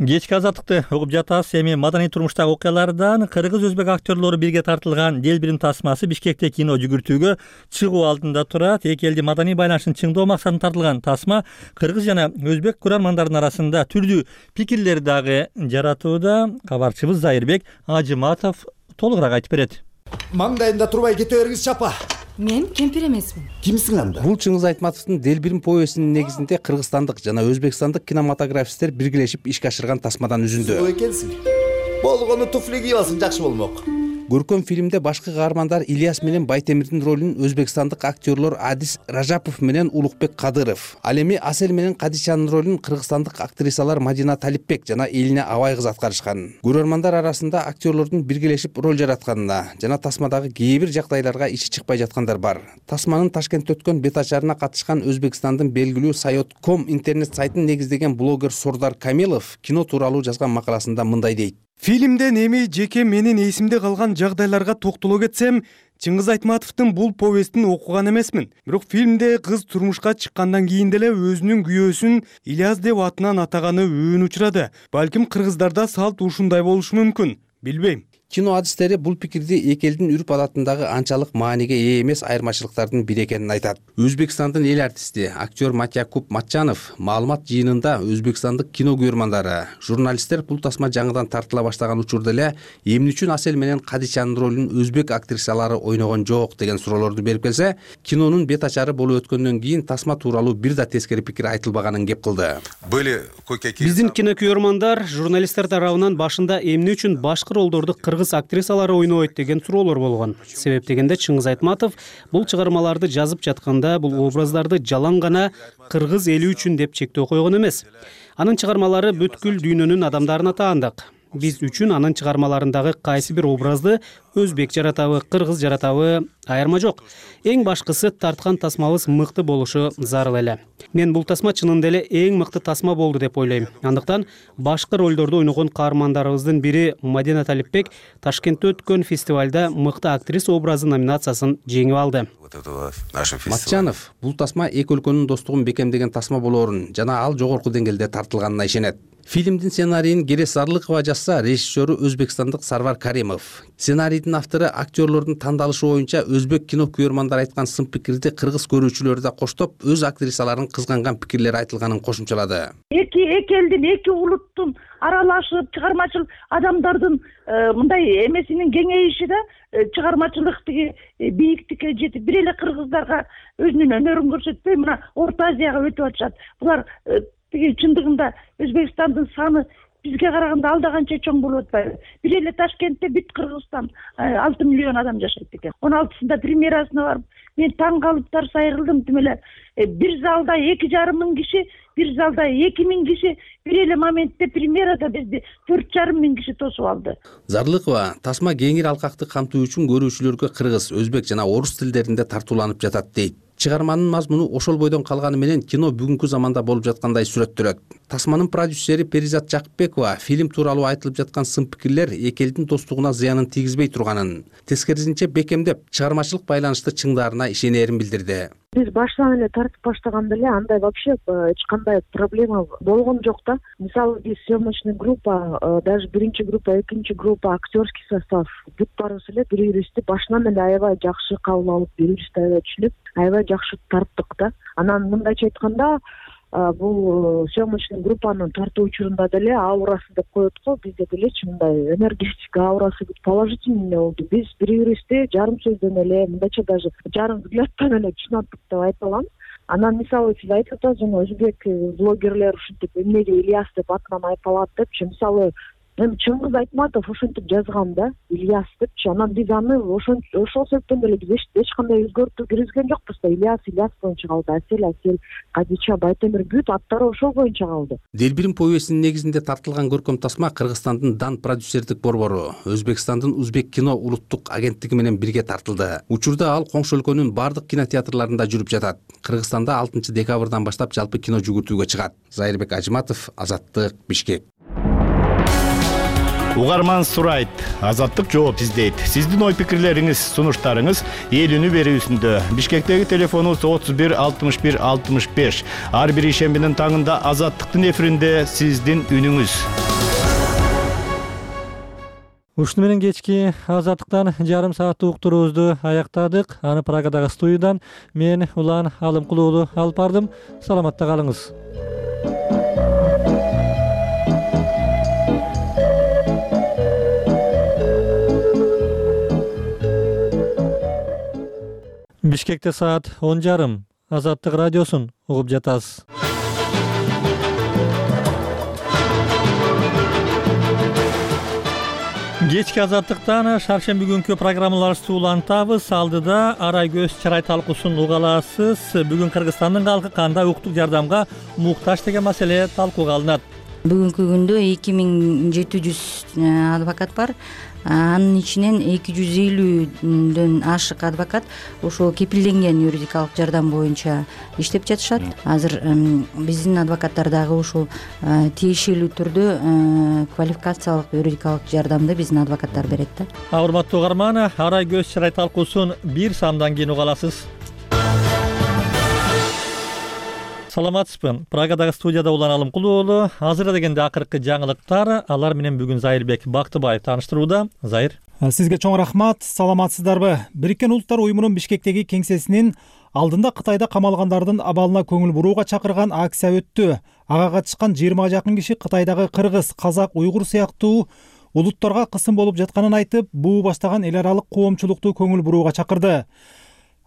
Кечки азаттыкты угуп жатасыз. Эми маданий турмуштагы окуялардан кыргыз өзбек актерлору бирге тартылган Делбирим тасмасы Бишкекте кино жүгүртүүгө чыгуу алдында турат. Эки элдин маданий байланышын чыңдоо максатында тартылган тасма кыргыз жана өзбек көрөрмандардын арасында түрдүү пикирлер дагы жаратууда. Кабарчыбыз Зайырбек Ажыматов толугураак айтып берет. Маңдайында турбай кете бергиз чапа. Мен кемпир эмесмин. Кимсиң анда? Бул Чыңгыз Айтматовдун Делбирим повестинин негизинде кыргызстандык жана өзбекстандык кинематографисттер биргелешип ишке ашырган тасмадан үзүндү. Сол экенсиң. Болгону туфли кийип алсаң жакшы болмок. Көркөм фильмде башкы каармандар Ильяс менен Байтемирдин ролун өзбекстандык актерлор Адис Ражапов менен Улукбек Кадыров, ал эми Асел менен Кадичанын ролун кыргызстандык актрисалар Мадина Талипбек жана Элине Абай кыз аткарышкан. Көрөрмандар арасында актерлордун биргелешип роль жаратканына жана тасмадагы кээ бир жагдайларга ичи чыкпай жаткандар бар. Тасманын Ташкентте өткөн бет ачарына катышкан Өзбекстандын белгилүү Sayot.com интернет сайтын негиздеген блогер Сордар Камилов кино тууралуу жазган макаласында мындай дейт. Фильмден эми жеке менин эсимде калган жагдайларга токтоло кетсем, Чыңгыз Айтматовдун бул повестин окуган эмесмин. Бирок фильмде кыз турмушка чыккандан кийин деле өзүнүн күйөөсүн Ильяс деп атынан атаганы өбүн учурады. Балким кыргыздарда салт ушундай болушу мүмкүн. Билбейм. Кино адистери бул пикирди эки элдин үрп адатындагы анчалык мааниге ээ эмес айырмачылыктардын бири экенин айтат. Өзбекстандын эл артисти, актер Матякуб Матчанов маалымат жыйынында өзбекстандык кино көрөрмандары, журналисттер бул тасма жаңыдан тартыла баштаган учурда эле эмне үчүн Асел менен Кадичанын ролун өзбек актрисалары ойногон жок деген суроолорду берип келсе, кинонун бет ачары болуп өткөндөн кийин тасма тууралуу бир да тескери пикир айтылбаганын кеп кылды. Биздин кино көрөрмандар журналисттер тарабынан башында эмне үчүн башкы ролдорду кыргыз актрисалары ойнойт деген суроолор болгон. Себеп дегенде Чыңгыз Айтматов бул чыгармаларды жазып жатканда бул образдарды жалаң гана кыргыз эли үчүн деп чектөө койгон эмес. Анын чыгармалары бүткүл дүйнөнүн адамдарына таандык. Биз үчүн анын чыгармаларындагы кайсы бир образды өзбек жаратабы, кыргыз жаратабы айырма жок. Эң башкысы тарткан тасмабыз мыкты болушу зарыл эле. Мен бул тасма чынында эле эң мыкты тасма болду деп ойлойм. Андыктан башкы ролдорду ойногон каармандарыбыздын бири Мадина Талипбек Ташкентте өткөн фестивалда мыкты актриса образы номинациясын жеңип алды. Матчанов бул тасма эки өлкөнүн достугун бекемдеген тасма болоорун жана ал жогорку деңгээлде тартылганына ишенет. Фильмдин сценарийин Керес Арлыкова жазса, режиссеру өзбекстандык Сарвар Каримов. Сценарийдин автору актерлордун тандалышы боюнча өзбек кино көрөрмандар айткан сын пикирди кыргыз көрүүчүлөрү да коштоп, өз актрисаларын кызганган пикирлер айтылганын кошумчалады. Эки элдин, эки улуттун аралашып, чыгармачыл адамдардын мындай эмесинин кеңейиши да чыгармачылык бийиктикке жетип, бир эле кыргыздарга өзүнүн өнөрүн көрсөтпөй, мына Орто Азияга өтүп атышат. Булар чындыгында Өзбекстандын саны бизге караганда алда канча чоң болуп атпайбы? Бир эле Ташкентте бүт Кыргызстан 6 миллион адам жашайт экен. 16-сында премьерасына барып, мен таң калып тарс айрылдым. Тим эле бир залда 2,5 миң киши, бир залда 2 миң киши, бир эле моментте премьерада бизди 4,5 миң киши тосуп алды. Зарлыкова тасма кеңир алкакты камтуу үчүн көрүүчүлөргө кыргыз, өзбек жана орус тилдеринде тартууланып жатат дейт. Чыгарманын мазмуну ошол бойдон калганы менен кино бүгүнкү заманда болуп жаткандай сүрөттөлөт. Тасманын продюсери Перизат Жакыпбекова фильм тууралуу айтылып жаткан сын пикирлер эки элдин достугуна зыянын тийгизбей турганын, тескерисинче бекемдеп, чыгармачылык байланышты чыңдаарына ишенерин билдирди. Биз баштан эле тартып баштаганда эле андай вообще эч кандай проблема болгон жок да. Мисалы биз съемочный группа, даже биринчи группа, экинчи группа, актерский состав бүт баарыбыз эле бири-бирибизди башынан эле аябай жакшы кабыл алып, бири-бирибизди аябай түшүнүп, аябай жакшы тарттык да. Анан мындайча айтканда, бул съемочный группанын тартуу учурунда деле аурасы деп коет го, бизде делечи мындай энергетика аурасы положительный болду. Биз бири-бирибизди жарым сөздөн эле, мындайча даже жарым взглядтан эле түшүнөттүк деп айта алам. Анан мисалы сиз айтып атасыз, жана өзбек блогерлер ушинтип эмнеге Ильяс деп атынан айпалат депчи, мисалы эми Чыңгыз Айтматов ошентип жазган да, Ильяс депчи. Анан биз аны ошол себептен эле биз эч кандай өзгөртүү киргизген жокпуз да. Ильяс боюнча калды, Асел, Кадича, Байтемир бүт аттары ошол боюнча калды. Делбирим повестинин негизинде тартылган көркөм тасма Кыргызстандын Дан продюсердик борбору, Өзбекстандын Узбек кино улуттук агенттиги менен бирге тартылды. Учурда ал коңшу өлкөнүн бардык кинотеатрларында жүрүп жатат. Кыргызстанда 6 декабрдан баштап жалпы кино жүгүртүүгө чыгат. Зайырбек Ажыматов, Азаттык, Бишкек. Угарман сурайт, Азаттык жооп издейт. Сиздин ой пикирлериңиз, сунуштарыңыз эл үнү берүүсүндө. Бишкектеги телефонубуз 31 61 65. Ар бир ишембинин таңында Азаттыктын эфиринде сиздин үнүңүз. Ушуну менен кечки азаттыктан жарым сааттык уктуруубузду аяктадык. Аны Прагадагы студиядан мен Улан Алымкул уулу алып бардым. Саламатта калыңыз. Бишкекте саат 10:30. Азаттык радиосун угуп жатасыз. Кечки азаттыктан шаршемби күнкү программаларыбызды улантабыз. Алдыда арай көз чырай талкуусун уга аласыз. Бүгүн Кыргызстандын калкы кандай укуктук жардамга муктаж деген маселе талкууга алынат. Бүгүнкү күндө 2700 адвокат бар. Анын ичинен 250дөн ашык адвокат ошол кепилденген юридикалык жардам боюнча иштеп жатышат. Азыр биздин адвокаттар дагы ушул тиешелүү түрдө квалификациялык юридикалык жардамды биздин адвокаттар берет да. Урматтуу угарман, арай көз чырай талкуусун бир самдан кийин уга аласыз. Саламатсызбы? Прагадагы студияда Улан Алымкул уулу. Азыр дегенде акыркы жаңылыктар, алар менен бүгүн Зайырбек Бактыбаев тааныштырууда. Зайыр. Сизге чоң рахмат. Саламатсыздарбы? Бириккен Улуттар уюмунун Бишкектеги кеңсесинин алдында Кытайда камалгандардын абалына көңүл бурууга чакырган акция өттү. Ага катышкан 20га жакын киши Кытайдагы кыргыз, казак, уйгур сыяктуу улуттарга кысым болуп жатканын айтып, буу баштаган эл аралык коомчулукту көңүл бурууга чакырды.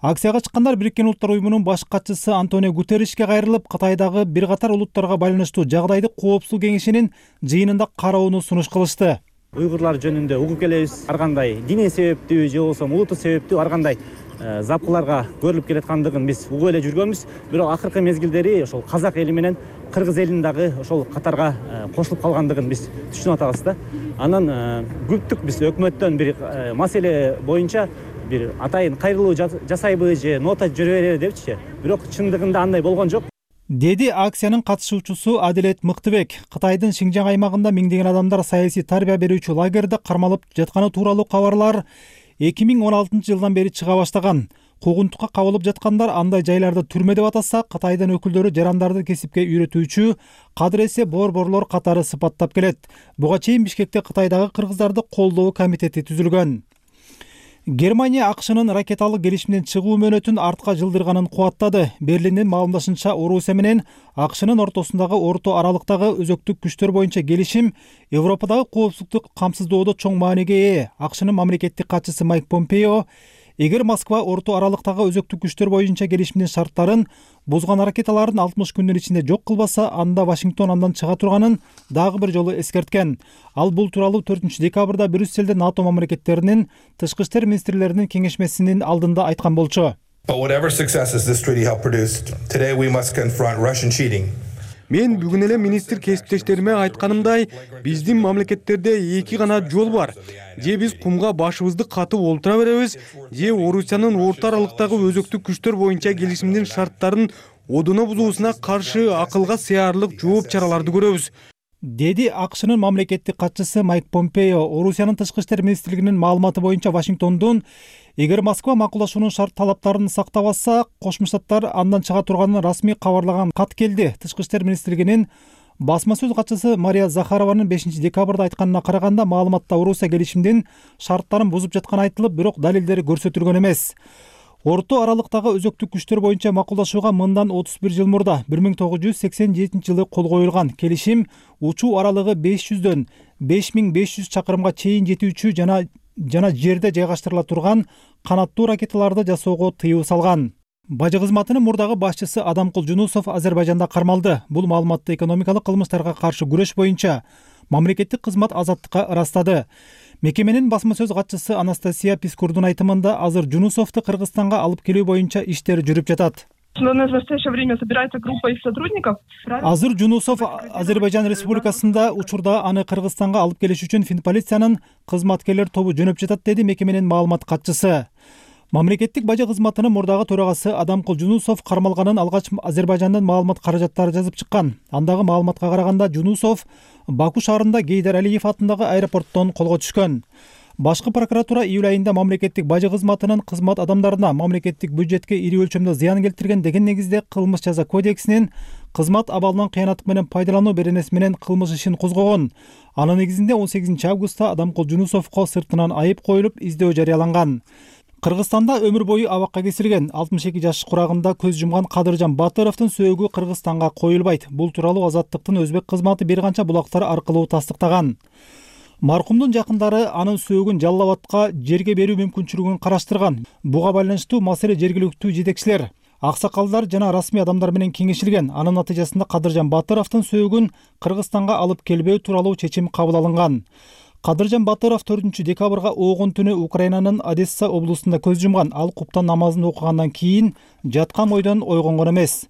Акцияга чыккандар Бириккен Улуттар уюмунун баш катчысы Антонио Гутерришке кайрылып, Кытайдагы бир катар улуттарга байланыштуу жагдайды Коопсуздук кеңешинин жыйынында кароону сунуш кылышты. Уйгурлар жөнүндө угуп келебиз. Ар кандай диний себептүү же болбосо улуттук себептүү ар кандай запкыларга көрүлүп келаткандыгын биз угуп эле жүргөнбүз. Бирок акыркы мезгилдери ошол казак эли менен кыргыз элинин дагы ошол катарга кошулуп калгандыгын биз түшүнүп атабыз да. Анан күттүк биз өкмөттөн бир маселе боюнча бир атайын кайрылуу жасайбы же нота жүрө берели депчи. Бирок чындыгында андай болгон жок. Деди акциянын катышуучусу Адилет Мыктыбек. Кытайдын Шинжаң аймагында миңдеген адамдар саясий тарбия берүүчү лагерде кармалып жатканы тууралуу кабарлар 2016-жылдан бери чыга баштаган. Куугунтукка кабылып жаткандар андай жайларды түрмө деп атаса, Кытайдын өкүлдөрү жарандарды кесипке үйрөтүүчү кадыресе борборлор катары сыпаттап келет. Буга чейин Бишкекте Кытайдагы кыргыздарды колдоо комитети түзүлгөн. Германия АКШнын ракеталык келишимден чыгуу мөөнөтүн артка жылдырганын кубаттады. Берлиндин маалымдашынча, Орусия менен АКШнын ортосундагы орто аралыктагы өзөктүк күчтөр боюнча келишим Европадагы коопсуздукту камсыздоодо чоң мааниге ээ. АКШнын мамлекеттик катчысы Майк Помпео, эгер Москва орто аралыктагы өзөктүк күчтөр боюнча келишимдин шарттарын бузган аракеталарын 60 күндүн ичинде жок кылбаса, анда Вашингтон андан чыга турганын дагы бир жолу эскерткен. Ал бул тууралуу 4-декабрда Брюсселде НАТО мамлекеттеринин тышкы иштер министрлеринин кеңешмесинин алдында айткан болчу. Мен бүгүн эле министр кесиптештериме айтканымдай, биздин мамлекеттерде эки гана жол бар. Же биз кумга башыбызды катып олтура беребиз, же Орусиянын орто аралыктагы өзөктүк күчтөр боюнча келишимдин шарттарын одуна бузуусуна каршы акылга сыярлык жооп чараларды көрөбүз, деди АКШнын мамлекеттик катчысы Майк Помпео. Орусиянын тышкы иштер министрлигинин маалыматы боюнча, Вашингтондун эгер Москва макулдашуунун шарт талаптарын сактабаса, Кошмо Штаттар андан чыга турганын расмий кабарлаган кат келди. Тышкы иштер министрлигинин басма сөз катчысы Мария Захарованын 5-декабрда айтканына караганда, маалыматта Орусия келишимдин шарттарын бузуп жатканы айтылып, бирок далилдери көрсөтүлгөн эмес. Орто аралыктагы өзөктүк күчтөр боюнча макулдашууга мындан 31 жыл мурда 1987-жылы кол коюлган. Келишим учуу аралыгы 500дөн 5500 чакырымга чейин жетүүчү жана жерде жайгаштырыла турган канаттуу ракеталарды жасоого тыюу салган. Бажы кызматынын мурдагы башчысы Адамкул Жунусов Азербайжанда кармалды. Бул маалыматты экономикалык кылмыштарга каршы күрөш боюнча мамлекеттик кызмат азаттыкка ырастады. Мекеменин басма сөз катчысы Анастасия Пискурдун айтымында, азыр Жунусовду Кыргызстанга алып келүү боюнча иштер жүрүп жатат. В настоящее время собирается группа их сотрудников. Азыр Жунусов Азербайжан Республикасында учурда аны Кыргызстанга алып келиш үчүн Финполициянын кызматкерлер тобу жөнөп жатат, деди мекеменин маалымат катчысы. Мамлекеттик бажы кызматынын мурдагы төрагасы Адамкул Жунусов кармалганын алгач Азербайжандын маалымат каражаттары жазып чыккан. Андагы маалыматка караганда, Жунусов Баку шаарында Гейдар Алиев атындагы аэропорттон колго түшкөн. Башкы прокуратура июль айында мамлекеттик бажы кызматынын кызмат адамдарына мамлекеттик бюджетке ири өлчөмдө зыян келтирген деген негизде кылмыш жаза кодексинин кызмат абалынан кыянаттык менен пайдалануу беренеси менен кылмыш ишин козгогон. Анын негизинде 18 августта Адамкул Жунусовго сыртынан айып коюлуп издөө жарыяланган. Кыргызстанда өмүр бою абакка кесилген 62 жаш курагында көз жумган Кадыржан Батыровдун сөөгү Кыргызстанга коюлбайт. Бул тууралуу Азаттыктын өзбек кызматы бир канча булактар аркылуу тастыктаган. Маркумдун жакындары анын сөөгүн Жалал Абадка жерге берүү мүмкүнчүлүгүн караштырган. Буга байланыштуу маселе жергиликтүү жетекчилер, аксакалдар жана расмий адамдар менен кеңешилген. Анын натыйжасында Кадыржан Батыровдун сөөгүн Кыргызстанга алып келбөө тууралуу чечим кабыл алынган. Кадыржан Батыров 4 декабрга оогун түнү Украинанын Одесса облусунда көз жумган. Ал куптан намазын окугандан кийин жаткан ойдон ойгонгон эмес.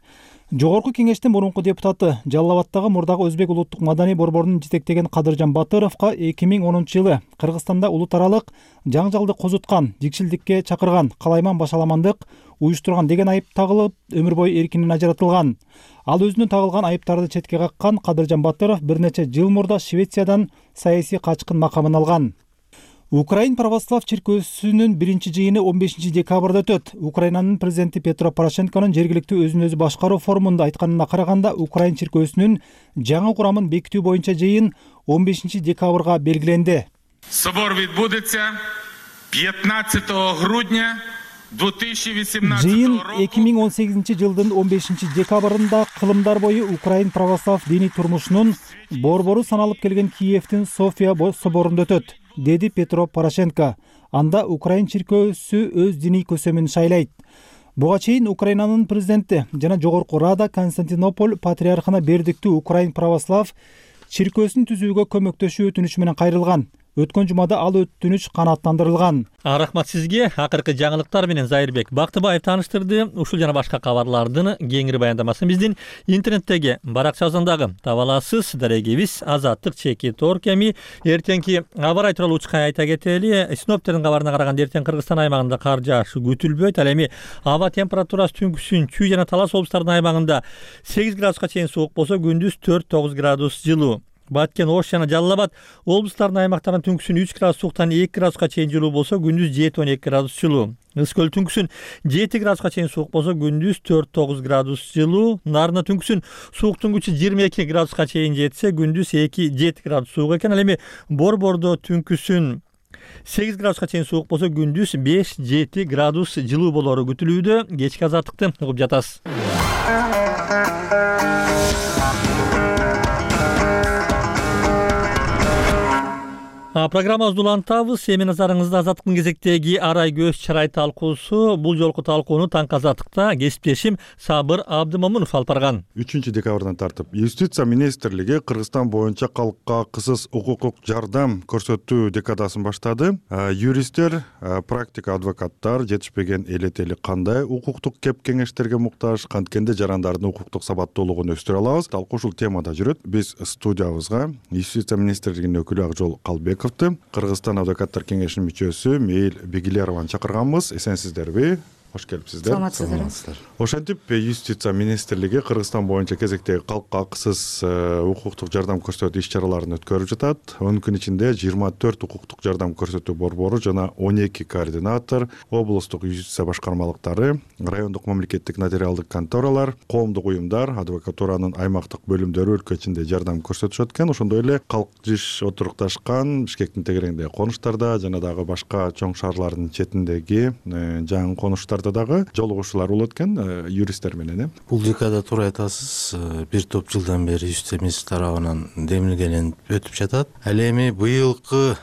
Жогорку кеңештин мурунку депутаты, Жалал Абадтагы мурдагы өзбек улуттук маданий борборунун жетектеген Кадыржан Батыровго 2010-жылы Кыргызстанда улут аралык жаңжалды козуткан, жикшилдикке чакырган, калайман башаламандык уюштурган деген айып тагылып, өмүр бою эркинен ажыратылган. Ал өзүнө тагылган айыптарды четке каккан. Кадыржан Батыров бир нече жыл мурда Швециядан саясий качкын макамын алган. Украин православ чиркөөсүнүн биринчи жыйыны 15 декабрда өтөт. Украинанын президенти Петро Порошенконун жергиликтүү өзүн өзү башкаруу форумунда айтканына караганда, Украин чиркөөсүнүн жаңы курамын бекитүү боюнча жыйын 15 декабрга белгиленди. Собор відбудеться 15 грудня 2018 Жыйын 2018 жылдын 15 декабрында кылымдар бою Украин православ диний турмушунун борбору саналып келген Киевдин София соборунда өтөт, деди Петро Порошенко. Анда Украин чиркөөсү өз диний көсөмүн шайлайт. Буга чейин Украинанын президенти жана Жогорку Рада Константинополь патриархына бердиктүү Украин православ чиркөөсүн түзүүгө көмөктөшүү өтүнүчү менен кайрылган. Өткөн жумада ал өтүнүч канааттандырылган. Рахмат сизге. Акыркы жаңылыктар менен Зайырбек Бактыбаев тааныштырды. Ушул жана башка кабарлардын кеңири баяндамасын биздин интернеттеги баракчабыздагы таба аласыз. Дарегибиз Азаттык.org эми эртеңки аба ырайы тууралуу учкай айта кетели. Синоптиктердин кабарына караганда эртең Кыргызстан аймагында кар жаашы күтүлбөйт. Ал эми аба температурасы түнкүсүн Чүй жана Талас облустарынын аймагында 8 градуска чейин суук болсо, күндүз 4-9 градус жылуу. Баткен, Ош жана Жалал Абад облустарынын аймактарында түнкүсүн 3 градус сууктан 2 градуска чейин жылуу болсо, күндүз 7-12 градус жылуу. Ысык көл түнкүсүн 7 градуска чейин суук болсо, күндүз 4-9 градус жылуу. Нарында түнкүсүн сууктун күчү 22 градуска чейин жетсе, күндүз 2-7 градус суук экен. Ал эми Борбордо түнкүсүн 8 градуска чейин суук болсо, күндүз 5-7 градус жылуу болору күтүлүүдө. Кечки азаттыкты угуп жатасыз. Программабызды улантабыз. Эми назарыңызда Азаттыктын кезектеги арай көз чырай талкуусу. Бул жолку талкууну Таңкы Азаттыкта кесиптешим Сабыр Абдымомунов алып барган. 3 декабрдан тартып Юстиция министрлиги Кыргызстан боюнча калкка кысыз укуктук жардам көрсөтүү декадасын баштады. Юристтер, практика адвокаттар жетишпеген элетели кандай укуктук кеп кеңештерге муктаж, канткенде жарандардын укуктук сабаттуулугун өстүрө алабыз. Талкуу ушул темада жүрөт. Биз студиябызга Юстиция министрлигинин өкүлү Акжол Калбек, Кыргызстан адвокаттар кеңешинин мүчөсү Мейил Бегилерованы чакырганбыз. Эсенсиздерби? Кош келипсиздер. Саламатсыздар. Ошентип Юстиция министрлиги Кыргызстан боюнча кезектеги калкка акысыз укуктук жардам көрсөтүү иш-чараларын өткөрүп жатат. Onun күн ичинде 24 укуктук жардам көрсөтүү борбору жана 12 координатор, облустук юстиция башкармалыктары, райондук мамлекеттик нотариалдык конторалар, коомдук уюмдар, адвокатуранын аймактык бөлүмдөрү өлкө ичинде жардам көрсөтүшөт экен. Ошондой эле калк-жиш отурукташкан Бишкектин тегерегиндеги конуштарда жана дагы башка чоң шаарлардын четиндеги жаңы конуштар дагы жолугушуулар болот экен юристтер менен. Бул декада туура айтасыз. Бир топ жылдан бери Юстиция министрлиги тарабынан демилгеленип өтүп жатат. Ал эми быйылкы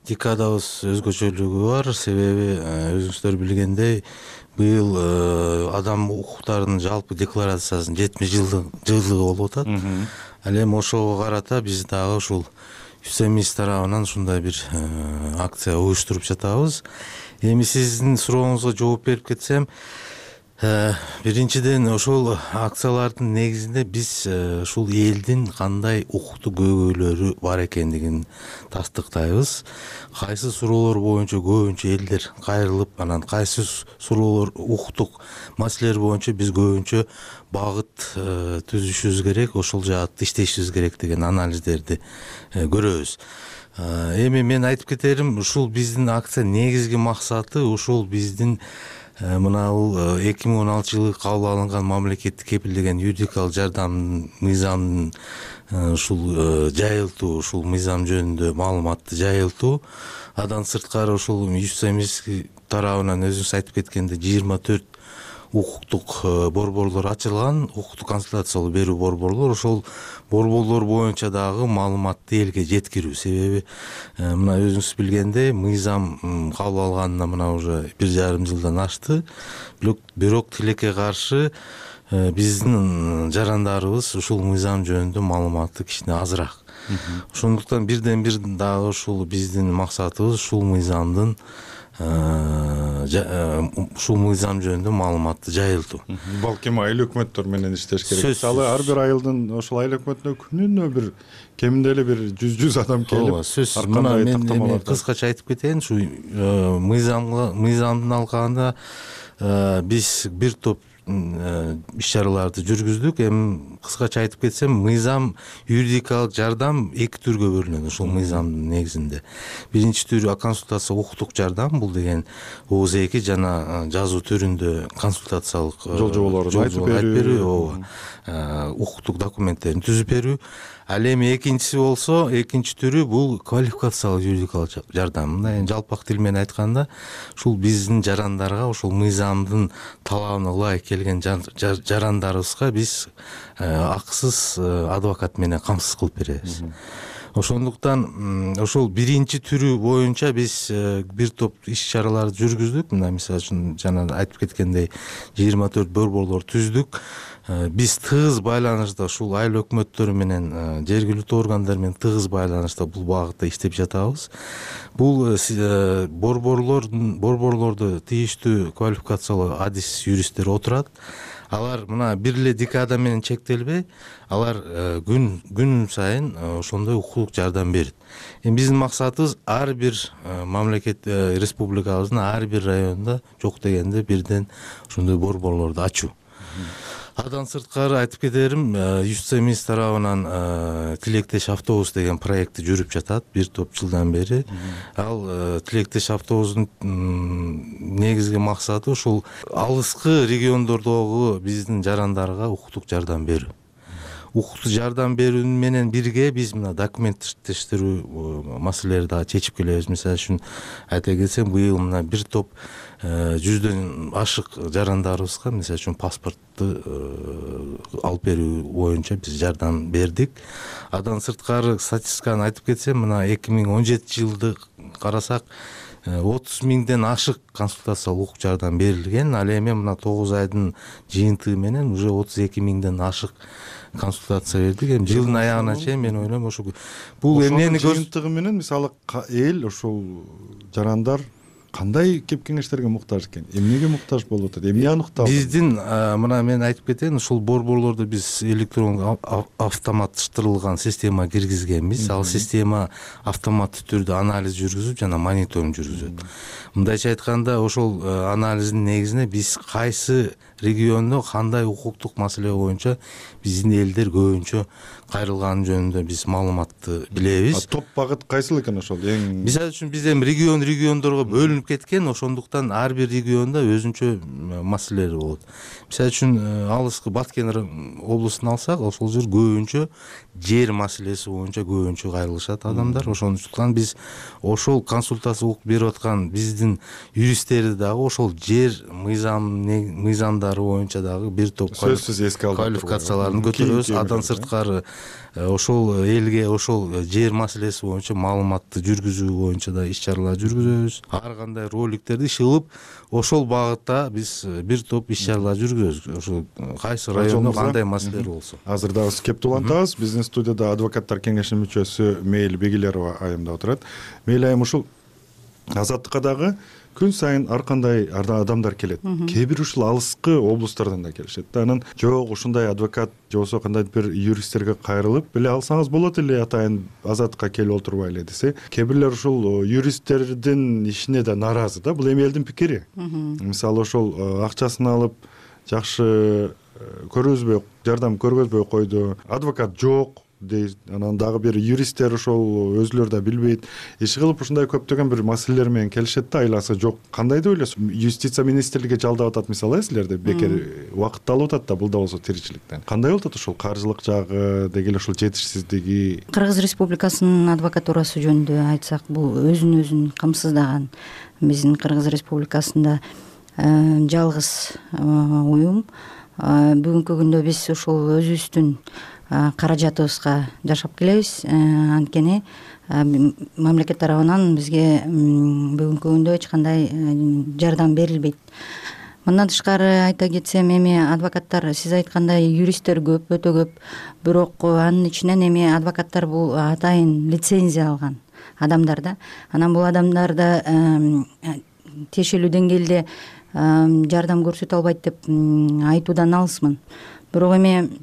декадабыз өзгөчөлүгү бар. Себеби өзүңүздөр билгендей, быйыл адам укуктарынын жалпы декларациясынын 70 жылдыгы болуп атат. Ал эми ошого карата биз дагы ушул Юстиция министрлиги тарабынан ушундай бир акция уюштуруп жатабыз. Эми сиздин сурооңузга жооп берип кетсем, биринчиден ошол акциялардын негизинде биз ушул элдин кандай укуктук көйгөйлөрү бар экендигин тастыктайбыз. Кайсы суроолор боюнча көбүнчө элдер кайрылып, анан кайсы суроолор укуктук маселелер боюнча биз көбүнчө багыт түзүшүбүз керек, ошол жаатта иштешибиз керек деген анализдерди көрөбүз. Эми мен айтып кетерим, ушул биздин акция негизги максаты ушул биздин мына бул 2016 кабыл алынган мамлекеттик кепилдеген юридикалык жардам мыйзамын ушул жайылтуу, ушул мыйзам жөнүндө маалыматты жайылтуу. Андан сырткары ушул Юстемирский тарабынан өзүңүз айтып кеткендей 24 укуктук борборлор ачылган, укуктук консультациялар берүү борборлор. Ошол борборлор боюнча дагы маалыматты элге жеткирүү. Себеби мына өзүңүз билгендей мыйзам кабыл алганына мына уже 1,5 жылдан ашты. Бирок тилекке каршы биздин жарандарыбыз ушул мыйзам жөнүндө маалыматы кичине азыраак. Ошондуктан бирден бир дагы ушул биздин максатыбыз ушул мыйзам жөнүндө маалыматты жайылтуу. Балким айыл өкмөттөр менен иштеш керек. Мисалы ар бир айылдын ошол айыл өкмөтүнө күнүнө бир кеминде эле бир 100 адам келип, сөзсүз мына мен кыскача айтып кетейин. Ушу мыйзамдын алкагында биз бир топ иш чараларды жүргүздүк. Эми кыскача айтып кетсем, мыйзам юридикалык жардам эки түргө бөлүнөт ушул мыйзамдын негизинде. Биринчи түрү консультация укуктук жардам, бул деген ооз-2 жана жазуу түрүндө консультациялык жол айтып берүү, укуктук документтерин түзүп берүү. Ал эми экинчиси болсо, экинчи түрү бул квалификациялык юридикалык жардам. Мына жалпак тил менен айтканда, ушул биздин жарандарга ушул мыйзамдын талабына ылайык келген жарандарыбызга биз акысыз адвокат менен камсыз кылып беребиз. Ошондуктан ошол биринчи түрү боюнча биз бир топ иш чараларды жүргүздүк. Мына мисалы үчүн жана айтып кеткендей 24 борборлор түздүк. Биз тыгыз байланышта ушул айыл өкмөттөрү менен, жергиликтүү органдар менен тыгыз байланышта бул багытта иштеп жатабыз. Бул борборлордо тийиштүү квалификациялуу адис юристтер отурат. Алар мына бир эле декада менен чектелбей, алар күн сайын ошондой укуктук жардам берет. Эми биздин максатыбыз ар бир мамлекет республикабыздын ар бир районунда жок дегенде бирден ошондой борборлорду ачуу. Адан сырткары айтып кетерим, Юстемирский тарабынан Тилектеш автобус деген проекти жүрүп жатат бир топ жылдан бери. Ал Тилектеш автобустун негизги максаты ушул алыскы региондордогу биздин жарандарга укуктук жардам берүү. Укуктук жардам берүү менен бирге биз мына документтештирүү маселелерди дагы чечип келебиз. Мисалы үчүн айта кетсем, быйыл мына бир топ 100дөн ашык жарандарыбызга мисалы үчүн паспортту алып берүү боюнча биз жардам бердик. Адан сырткары статистиканы айтып кетсем, мына 2017 жылды карасак 30 миңден ашык консультациялык укук жардам берилген. Ал эми мына 9 айдын жыйынтыгы менен уже 32 миңден ашык консультация бердик. Эми жылдын аягына чейин мен ойлойм ошо бул эмнени жыйынтыгы менен мисалы эл ошол жарандар кандай кеп кеңештерге муктаж экен, эмнеге муктаж болуп атат, эмне аныкталды? Биздин мына мен айтып кетейин, ушул борборлордо биз электрондук автоматташтырылган система киргизгенбиз. Ал система автоматтуу түрдө анализ жүргүзүп жана мониторинг жүргүзөт. Мындайча айтканда, ошол анализдин негизинде биз кайсы региондо кандай укуктук маселе боюнча биздин элдер көбүнчө кайрылганы жөнүндө биз маалыматты билебиз. Топ багыт кайсыл экен ошол? Мисалы үчүн биз эми региондорго бөлүнүп кеткен, ошондуктан ар бир региондо өзүнчө маселелер болот. Мисалы үчүн алыскы Баткен облустун алсак, ошол жер көбүнчө жер маселеси боюнча көбүнчө кайрылышат адамдар. Ошондуктан биз ошол консультация укук берип аткан биздин юристтерди дагы ошол жер мыйзамдары боюнча дагы бир топ квалификацияларын көтөрөбүз. Адан сырткары ошол элге ошол жер маселеси боюнча маалыматты жүргүзүү боюнча да иш чаралар жүргүзөбүз. Ар кандай роликтерди чыгып ошол багытта биз бир топ иш чаралар жүргүзөбүз. Ошол кайсы райондо кандай маселелер болсо. Азыр дагы кеп улантабыз. Биздин студияда адвокаттар кеңешинин мүчөсү Мейил Бегилерова айым да отурат. Мейил айым, ушул Азаттыкка дагы күн сайын ар кандай адамдар келет. Кээ бир ушул алыскы облустардан да келишет. Анан жок ушундай адвокат же болбосо кандайдыр бир юристтерге кайрылып биле алсаңыз болот эле, атайын Азаттыкка келип отурбайлы десе, кээ бирлер ушул юристтердин ишине да нааразы да. Бул эми элдин пикири. Мисалы ошол акчасын алып жакшы көргөзбөй, жардам көргөзбөй койду. Адвокат жок дейт. Анан дагы бир юристтер ошол өзүлөрү да билбейт. Иши кылып ушундай көптөгөн бир маселелер менен келишет да, айласы жок. Кандай деп ойлойсуң? Юстиция министрлиги жалдап атат мисалы, силерде бекер убакытты алып атат да, бул да болсо тиричиликтен. Кандай болуп атат ошол каржылык жагы, деги эле ошол жетишсиздиги? Кыргыз Республикасынын адвокатурасы жөнүндө айтсак, бул өзүн камсыздаган биздин Кыргыз Республикасында жалгыз уюм. Бүгүнкү күндө биз ушул өзүбүздүн каражатыбызга жашап келебиз. Анткени мамлекет тарабынан бизге бүгүнкү күндө эч кандай жардам берилбейт. Мындан тышкары айта кетсем, эми адвокаттар, сиз айткандай, юристтер көп, өтө көп. Бирок анын ичинен эми адвокаттар бул атайын лицензия алган адамдар да. Анан бул адамдарда тиешелүү деңгээлде жардам көрсөтө албайт деп айтуудан алысмын. Бирок эми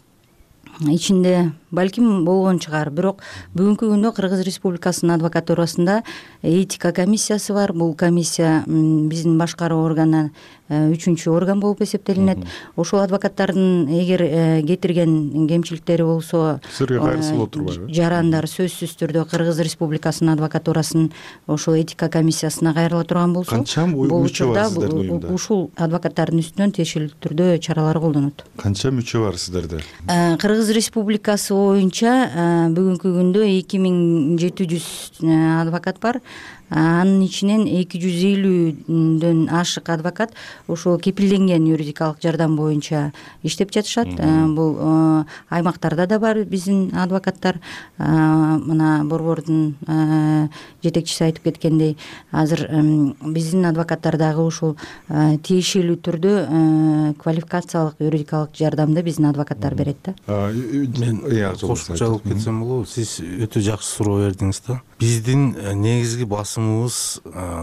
ичинде балким болгон чыгар. Бирок бүгүнкү күндө Кыргыз Республикасынын адвокатурасында этика комиссиясы бар. Бул комиссия биздин башкаруу органы 3-чү орган болуп эсептелинет. Ошол адвокаттардын эгер кетирген кемчиликтери болсо, сизге кайрысы болуп турбайбы? Жарандар сөзсүз түрдө Кыргыз Республикасынын адвокатурасын ошол этика комиссиясына кайрыла турган болсо, канча мүчө бар сиздердин уюмда? Ушул адвокаттардын үстүнөн тиешелүү түрдө чаралар колдонот. Канча мүчө бар сиздерде? Кыргыз Республикасы боюнча бүгүнкү күндө 2700 адвокат бар. Анын ичинен 250дөн ашык адвокат ошол кепилденген юридикалык жардам боюнча иштеп жатышат. Бул аймактарда да бар биздин адвокаттар. Мына борбордун жетекчиси айтып кеткендей, азыр биздин адвокаттар дагы ушул тиешелүү түрдө квалификациялык юридикалык жардамды биздин адвокаттар берет да. Мен кошумча кылып кетсем болобу? Сиз өтө жакшы суроо бердиңиз да. Биздин негизги басымыбыз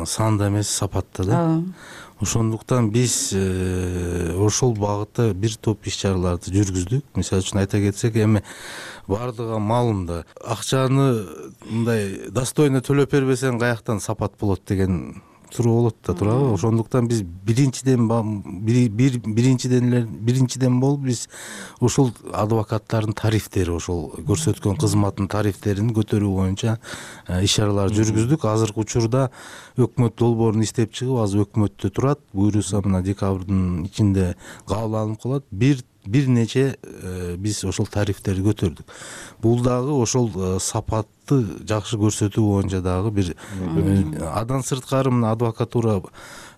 санда эмес, сапатта да. Ошондуктан биз ошол багытта бир топ иш-чараларды жүргүздүк. Мисалы үчүн айта кетсек, эми бардыгы маалым да, акчаны мындай достойно төлөп бербесең каяктан сапат болот деген суроо болот да, туурабы? Ошондуктан биз биринчиден болуп биз ошол адвокаттардын тарифтери, ошол көрсөткөн кызматтын тарифтерин көтөрүү боюнча иш-чаралар жүргүздүк. Азыркы учурда өкмөт долбоорун иштеп чыгып, азыр өкмөттө турат. Буюрса мына декабрдын ичинде кабыл алынып калат. Бир нече биз ошол тарифтерди көтөрдүк. Бул дагы ошол сапатты жакшы көрсөтүү боюнча дагы бир адан сырткары мына адвокатура,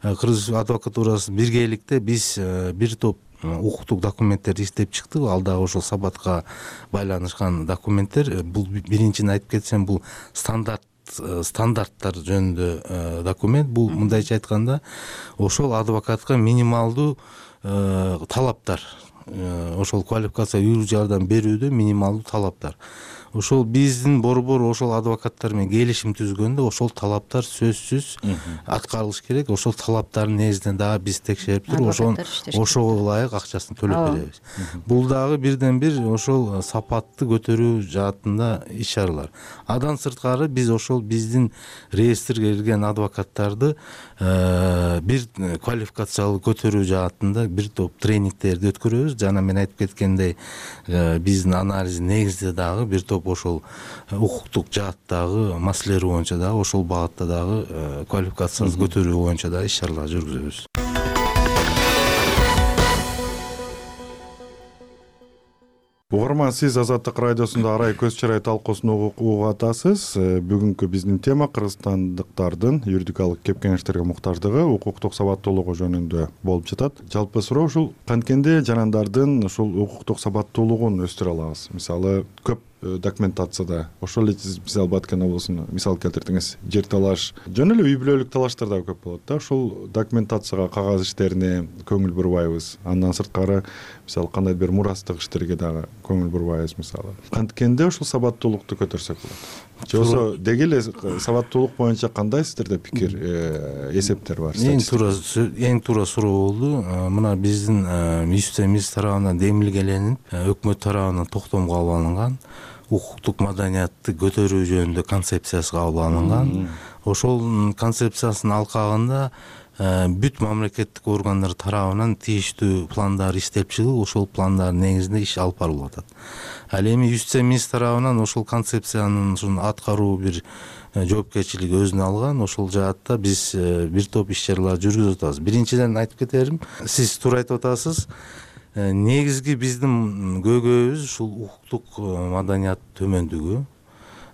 Кыргыз адвокатурасы биргеликте биз бир топ укуктук документтерди иштеп чыктык. Ал дагы ошол сапатка байланышкан документтер. Бул биринчиден айтып кетсем, бул стандарттар жөнүндө документ. Бул мындайча айтканда ошол адвокатка минималдуу талаптар, ошол квалификация юридик жардам берүүдө минималдуу талаптар. Ошол биздин борбор ошол адвокаттар менен келишим түзгөндө ошол талаптар сөзсүз аткарылыш керек. Ошол талаптардын негизинен дагы биз текшерип туруп, ошого ылайык акчасын төлөп беребиз. Бул дагы бирден бир ошол сапатты көтөрүү жаатында иш-чаралар. Адан сырткары биз ошол биздин реестрге кирген адвокаттарды бир квалификациялуу көтөрүү жаатында бир топ тренингтерди өткөрөбүз. Жана мен айтып кеткендей, биздин анализдин негизинде дагы бир топ ошол укуктук жааттагы маселелер боюнча дагы ошол багытта дагы квалификацияны көтөрүү боюнча дагы иш-чаралар жүргүзөбүз. Угарман, сиз Азаттык радиосунда арай көз чарай талкуусун угуп атасыз. Бүгүнкү биздин тема кыргызстандыктардын юридикалык кепкенечтерге муктаждыгы, укуктук сабаттуулугу жөнүндө болуп жатат. Жалпы суроо ушул канткенде жанандардын ушул укуктук сабаттуулугун өстүрө алабыз. Мисалы, көп документацияда ошол эле мисалы Баткен облусуна мисал келтирдиңиз, жер талаш, жөн эле үй бүлөлүк талаштар да көп болот да. Ошол документацияга, кагаз иштерине көңүл бурбайбыз. Андан сырткары мисалы кандай бир мурастык иштерге дагы көңүл бурбайбыз мисалы. Канткенде ушул сабаттуулукту көтөрсөк болот. Же болсо деги эле сабаттуулук боюнча кандай сиздерде пикир, эсептер бар? Эң туура суроо болду. Мына биздин Юстиция тарабынан демилгеленип, өкмөт тарабынан токтом кабыл алынган укуктук маданиятты көтөрүү жөнүндө концепциясы кабыл алынган. Ошол концепциясынын алкагында бүт мамлекеттик органдар тарабынан тийиштүү пландар иштелип чыгып, ошол пландардын негизинде иш алып барылып атат. Ал эми юстиция министр тарабынан ошол концепциянын аткаруу бир жоопкерчилиги өзүнө алган. Ошол жаатта биз бир топ иш чаралар жүргүзүп атабыз. Биринчиден айтып кетерим, сиз туура айтып атасыз. Негизги биздин көйгөйүбүз ушул укуктук маданият төмөндүгү.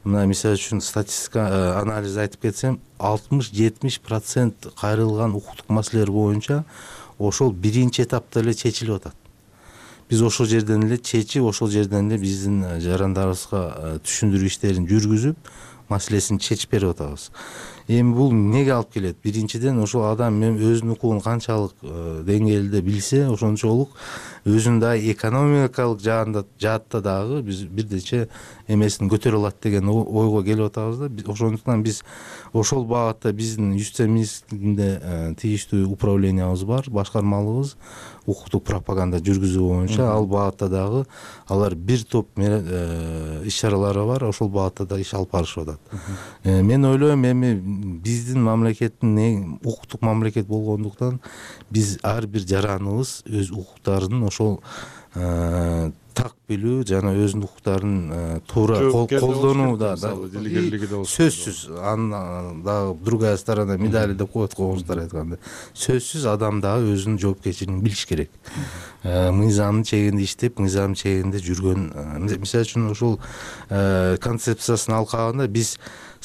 Мына мисалы үчүн статистика анализ айтып кетсем, 60-70% кайрылган укуктук маселелер боюнча ошол биринчи этапта эле чечилип атат. Биз ошол жерден эле чечип, ошол жерден эле биздин жарандарыбызга түшүндүрүү иштерин жүргүзүп, маселесин чечип берип атабыз. Эми бул эмнеге алып келет? Биринчиден ошол адам өзүнүн укугун канчалык деңгээлде билсе, ошончолук өзүнүн дагы экономикалык жаатта дагы биз бирдече эмесин көтөрө алат деген ойго келип атабыз да. Ошондуктан биз ошол багытта биздин юстиция министрлигинде тийиштүү управлениябыз бар, башкармалыбыз укуктук пропаганда жүргүзүү боюнча. Ал багытта дагы алар бир топ иш чаралары бар, ошол багытта да иш алып барышып атат. Мен ойлойм, эми биздин мамлекеттин укуктук мамлекет болгондуктан биз ар бир жараныбыз өз укуктарын ошол так билүү жана өзүнүн укуктарын туура колдонууда сөзсүз, анын дагы другая сторона медали деп коет коңуздар айтканда, сөзсүз адам дагы өзүнүн жоопкерчилигин билиш керек. Мыйзамдын чегинде иштеп, мыйзамдын чегинде жүргөн, мисалы үчүн ошол концепциясынын алкагында биз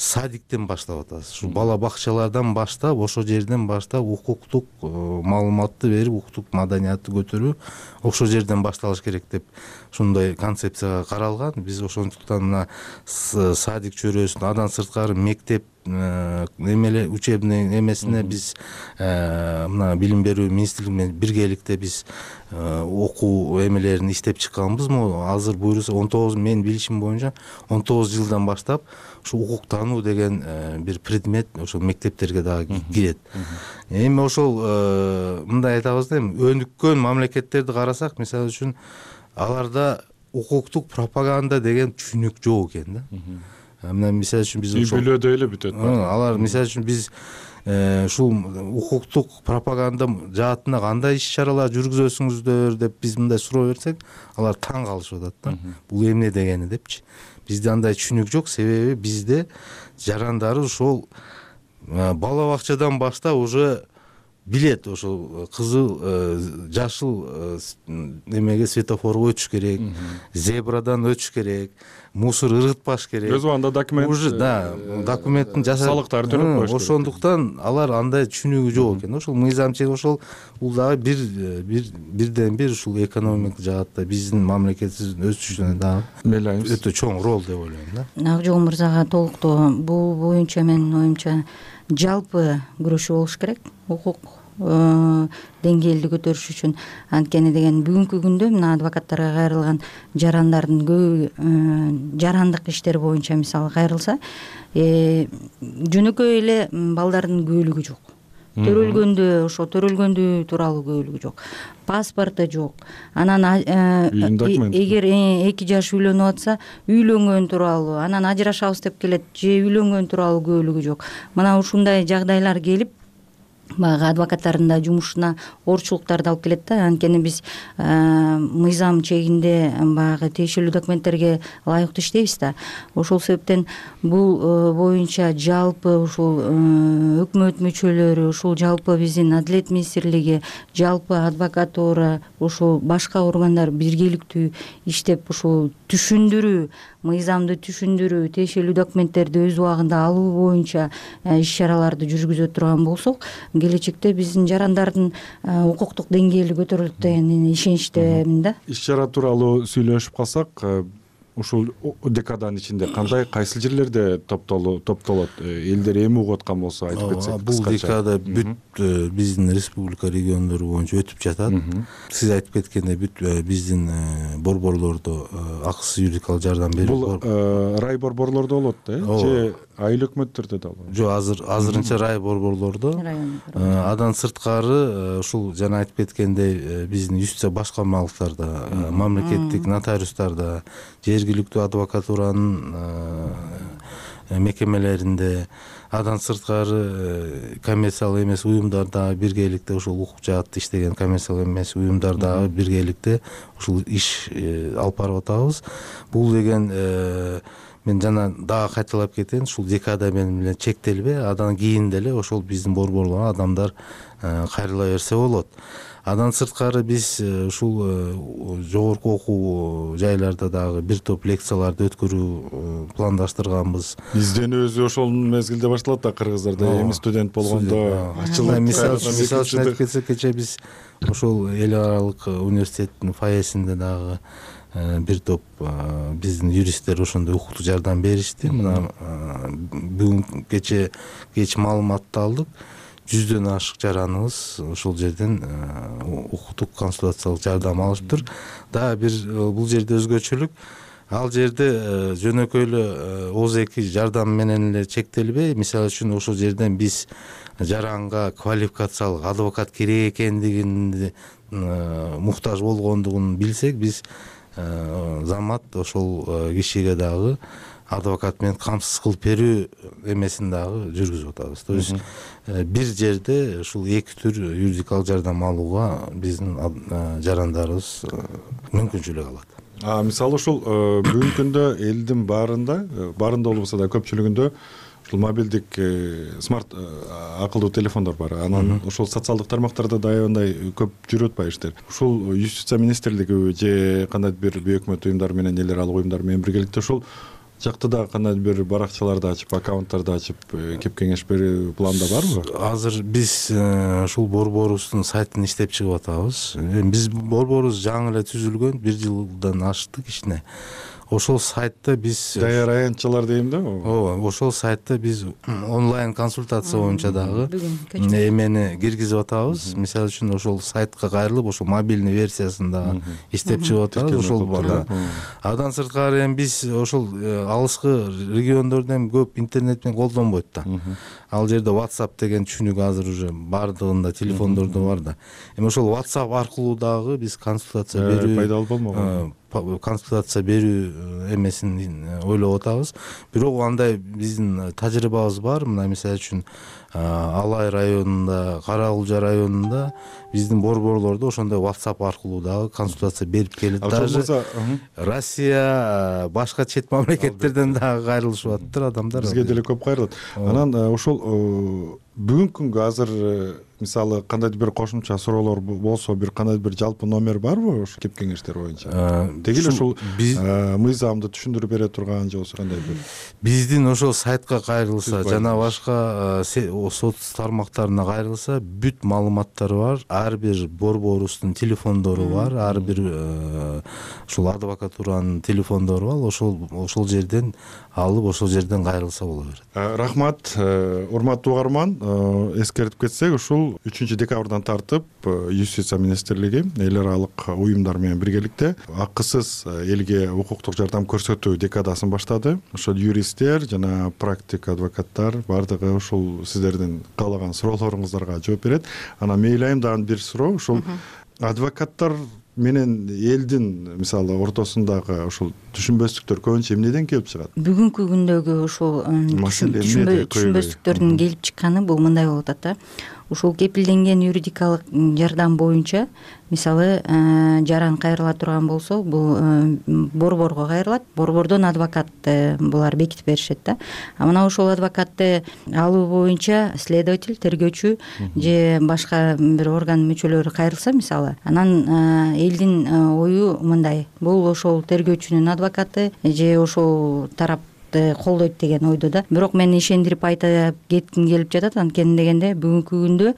садиктен баштап атабыз. Ушул бала бакчалардан баштап, ошол жерден баштап укуктук маалыматты берип, укуктук маданиятты көтөрүү ошол жерден башталыш керек деп ушундай концепцияга каралган. Биз ошондуктан мына садик чөйрөсүн андан сырткары мектеп эмеле учебный эмесине биз мына билим берүү министрлиги менен биргеликте биз окуу эмелерин иштеп чыкканбызмы? Азыр буюрса 19, мен билишим боюнча 19 жылдан баштап ушул укуктануу деген бир предмет ошол мектептерге дагы кирет. Эми ошол мындай айтабыз да, эми өнүккөн мамлекеттерди карасак, мисалы үчүн аларда укуктук пропаганда деген түшүнүк жок экен да. Мына мисалы үчүн биз ошол билөөдө эле бүтөт. Алар мисалы үчүн биз ушул укуктук пропаганда жаатында кандай иш чаралар жүргүзөсүңүздөр деп биз мындай суроо берсек, алар таң калышып атат да. Бул эмне дегени депчи. Бизде андай түшүнүк жок, себеби бизде жарандары ошол бала бакчадан баштап уже билет, ошол кызыл, жашыл эмеге светофорго өтүш керек, зебрадан өтүш керек, мусор ыргытпаш керек. Өз убагында документ уже документтин жасап салыктарды төлөп коюш керек. Ошондуктан алар андай түшүнүгү жок экен. Ошол мыйзам чек, ошол бул дагы бирден бир ушул экономик жаатта биздин мамлекетибиздин өсүшүнө дагы өтө чоң роль деп ойлойм да. Акжол мырзага толуктоо, бул боюнча менин оюмча жалпы күрөшүү болуш керек укук деңгээлди көтөрүш үчүн. Анткени деген бүгүнкү күндө мына адвокаттарга кайрылган жарандардын көбү жарандык иштер боюнча мисалы кайрылса, жөнөкөй эле балдардын күбөлүгү жок. Төрөлгөндү тууралуу күбөлүгү жок. Паспорту жок. Анан эгер 2 жаш үйлөнүп атса, үйлөнгөн тууралуу, анан ажырашабыз деп келет, же үйлөнгөн тууралуу күбөлүгү жок. Мына ушундай жагдайлар келип баягы адвокаттардын да жумушуна оорчулуктарды алып келет да. Анткени биз мыйзам чегинде баягы тиешелүү документтерге ылайыктуу иштейбиз да. Ошол себептен бул боюнча жалпы ушул өкмөт мүчөлөрү, ушул жалпы биздин Адилет министрлиги, жалпы адвокатура, ушул башка органдар биргеликтүү иштеп ушул түшүндүрүү, мыйзамды түшүндүрүү, тиешелүү документтерди өз убагында алуу боюнча иш чараларды жүргүзө турган болсок, келечекте биздин жарандардын укуктук деңгээли көтөрүлөт деген ишеничтемин да. Иш чара тууралуу сүйлөшүп калсак, ушул декаданын ичинде кайсыл жерлерде топтолот? Элдер эми угуп аткан болсо айтып кетсек. Бул декада бүт биздин республика региондору боюнча өтүп жатат. Сиз айтып кеткендей бүт биздин борборлордо акысыз юридикалык жардам берүү. Бул рай борборлордо болот да, же айыл өкмөттөрдө да болот? Жок, азырынча рай борборлордо. Андан сырткары ушул жана айтып кеткендей биздин юстиция башкармалыктарда, мамлекеттик нотариустарда, жергиликтүү адвокатуранын мекемелеринде, Андан сырткары коммерциялык эмес уюмдар дагы биргеликте ушул укук жаатта иштеген коммерциялык эмес уюмдар дагы биргеликте ушул иш алып барып атабыз. Бул деген мен жана дагы кайталап кетейин, ушул декада менен чектелбей, андан кийин деле ошол биздин борборлорго адамдар кайрыла берсе болот. Андан сырткары биз ушул жогорку окуу жайларда дагы бир топ лекцияларды өткөрүү пландаштырганбыз. Изденүүбүз ошол мезгилде башталат да, кыргыздарда эми студент болгондо ачылып. Мисалы үчүн айтып кетсек, кечээ биз ошол эл аралык университеттин фойесинде дагы бир топ биздин юристтер ошондой укуктук жардам беришти. Мына бүгүн кеч маалыматты алдык. 100дөн ашык жараныбыз ошол жерден укуктук консультациялык жардам алыптыр. Дагы бир бул жерде өзгөчөлүк, ал жерде жөнөкөй эле ооз-эки жардам менен эле чектелбей, мисалы үчүн ошол жерден биз жаранга квалификациялык адвокат керек экендигин, муктаж болгондугун билсек, биз замат ошол кишиге дагы адвокат менен камсыз кылып берүү эмесин дагы жүргүзүп атабыз. То есть бир жерде ушул эки түр юридикалык жардам алууга биздин жарандарыбыз мүмкүнчүлүк алат. Мисалы ушул бүгүнкү күндө элдин баарында болбосо да көпчүлүгүндө ушул мобилдик смарт акылдуу телефондор бар. Анан ошол социалдык тармактарда да аябай көп жүрүп атпайбы иштер. Ушул юстиция министрлиги же кандайдыр бир бейөкмөт уюмдар менен, эл аралык уюмдар менен биргеликте ушул жакта да кандайдыр бир баракчаларды ачып, аккаунттарды ачып кеп кеңеш берүү планда барбы? Азыр биз ушул борборубуздун сайтын иштеп чыгып атабыз. Биз борборубуз жаңы эле түзүлгөн, 1 жылдан аштык ишине. Ошол сайтта биз даяр аянтчалар дейм да. Ооба, ошол сайтта биз онлайн консультация боюнча дагы эмени киргизип атабыз. Мисалы үчүн ошол сайтка кайрылып, ошол мобильный версиясын дагы иштеп чыгып атабыз. Ошол бар. Андан сырткары эми биз ошол алыскы региондордо эми көп интернет менен колдонбойт да. Ал жерде WhatsApp деген түшүнүк азыр уже бардыгында телефондордо бар да. Эми ошол WhatsApp аркылуу дагы биз консультация берүү пайдалуу болмогон. Консультация берүү эмесин ойлоп атабыз. Бирок андай биздин тажрыйбабыз бар. Мына мисалы үчүн Алай районунда, Кара-Кулжа районунда биздин борборлордо ошондой WhatsApp аркылуу дагы консультация берип келет. Даже Россия, башка чет мамлекеттерден дагы кайрылышып атыптыр адамдар. Бизге деле көп кайрылат. Анан ошол бүгүнкү күнгө азыр мисалы кандайдыр бир кошумча суроолор болсо, бир кандайдыр бир жалпы номер барбы ошо кеп кеңештер боюнча? Деги эле ушул мыйзамды түшүндүрүп бере турган же болбосо кандай бир? Биздин ошол сайтка кайрылса жана башка соц тармактарына кайрылса бүт маалыматтар бар. Ар бир борборубуздун телефондору бар, ар бир ушул адвокатуранын телефондору бар. Ошол жерден алып, ошол жерден кайрылса боло берет. Рахмат, урматтуу угарман. Эскертип кетсек, ушул 3 декабрдан тартып Юстиция министрлиги эл аралык уюмдар менен биргеликте акысыз элге укуктук жардам көрсөтүү декадасын баштады. Ошол юристтер жана практик адвокаттар бардыгы ушул сиздердин каалаган суроолоруңуздарга жооп берет. Анан мейли дагы бир суроо, ушул адвокаттар менен элдин мисалы ортосундагы ушул түшүнбөстүктөр көбүнчө эмнеден келип чыгат? Бүгүнкү күндөгү ушул түшүнбөстүктөрдүн келип чыкканы бул мындай болуп атат да. Ушул кепилденген юридикалык жардам боюнча мисалы жаран кайрыла турган болсо, бул борборго кайрылат. Борбордон адвокат булар бекитип беришет да. А мына ошол адвокатты алуу боюнча следователь, тергөөчү же башка бир орган мүчөлөрү кайрылса мисалы, анан элдин ою мындай: бул ошол тергөөчүнүн адвокаты же ошол тарап колдойт деген ойдо да. Бирок мен ишендирип айтып кетким келип жатат. Анткени дегенде бүгүнкү күндө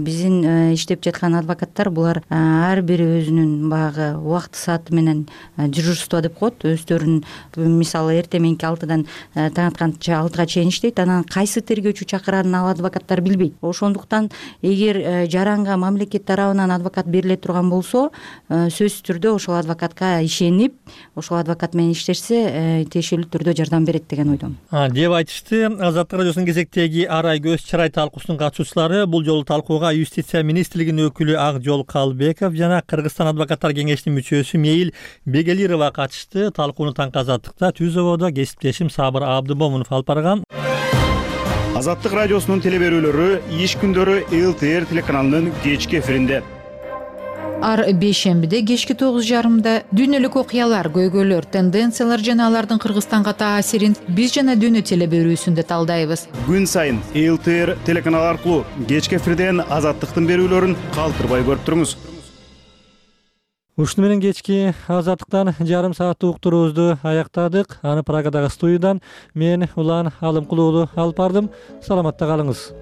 биздин иштеп жаткан адвокаттар булар ар бири өзүнүн баягы убакыт сааты менен дежурство деп коет. Өздөрүнүн мисалы эртең мененки 6-дан таң атканча 6-га чейин иштейт. Анан кайсы тергөөчү чакырарын ал адвокаттар билбейт. Ошондуктан эгер жаранга мамлекет тарабынан адвокат бериле турган болсо, сөзсүз түрдө ошол адвокатка ишенип, ошол адвокат менен иштешсе, тиешелүү түрдө жардам берет деген ойдомун. Деп айтышты Азаттык радиосунун кезектеги Арай көз чырай талкуусунун катышуучулары. Бул жолу талкууга Юстиция министрлигинин өкүлү Акжол Калбеков жана Кыргызстан адвокаттар кеңешинин мүчөсү Мейил Бегелирова катышты. Талкууну таңкы Азаттыкта Түз ободо кесиптешим Сабыр Абдымомунов алып барган. Азаттык радиосунун теле берүүлөрү иш күндөрү ЛТР телеканалынын кечки эфиринде. Ар бейшембиде кечки 9:30 дүйнөлүк окуялар, көйгөйлөр, тенденциялар жана алардын Кыргызстанга таасирин биз жана дүйнө теле берүүсүндө талдайбыз. Күн сайын ЛТР телеканалы аркылуу кечки эфирден Азаттыктын берүүлөрүн калтырбай көрүп туруңуз. Ушуну менен кечки Азаттыктан жарым сааттык уктуруубузду аяктадык. Аны Прагадагы студиядан мен Улан Алымкулуу алып бардым. Саламатта калыңыз.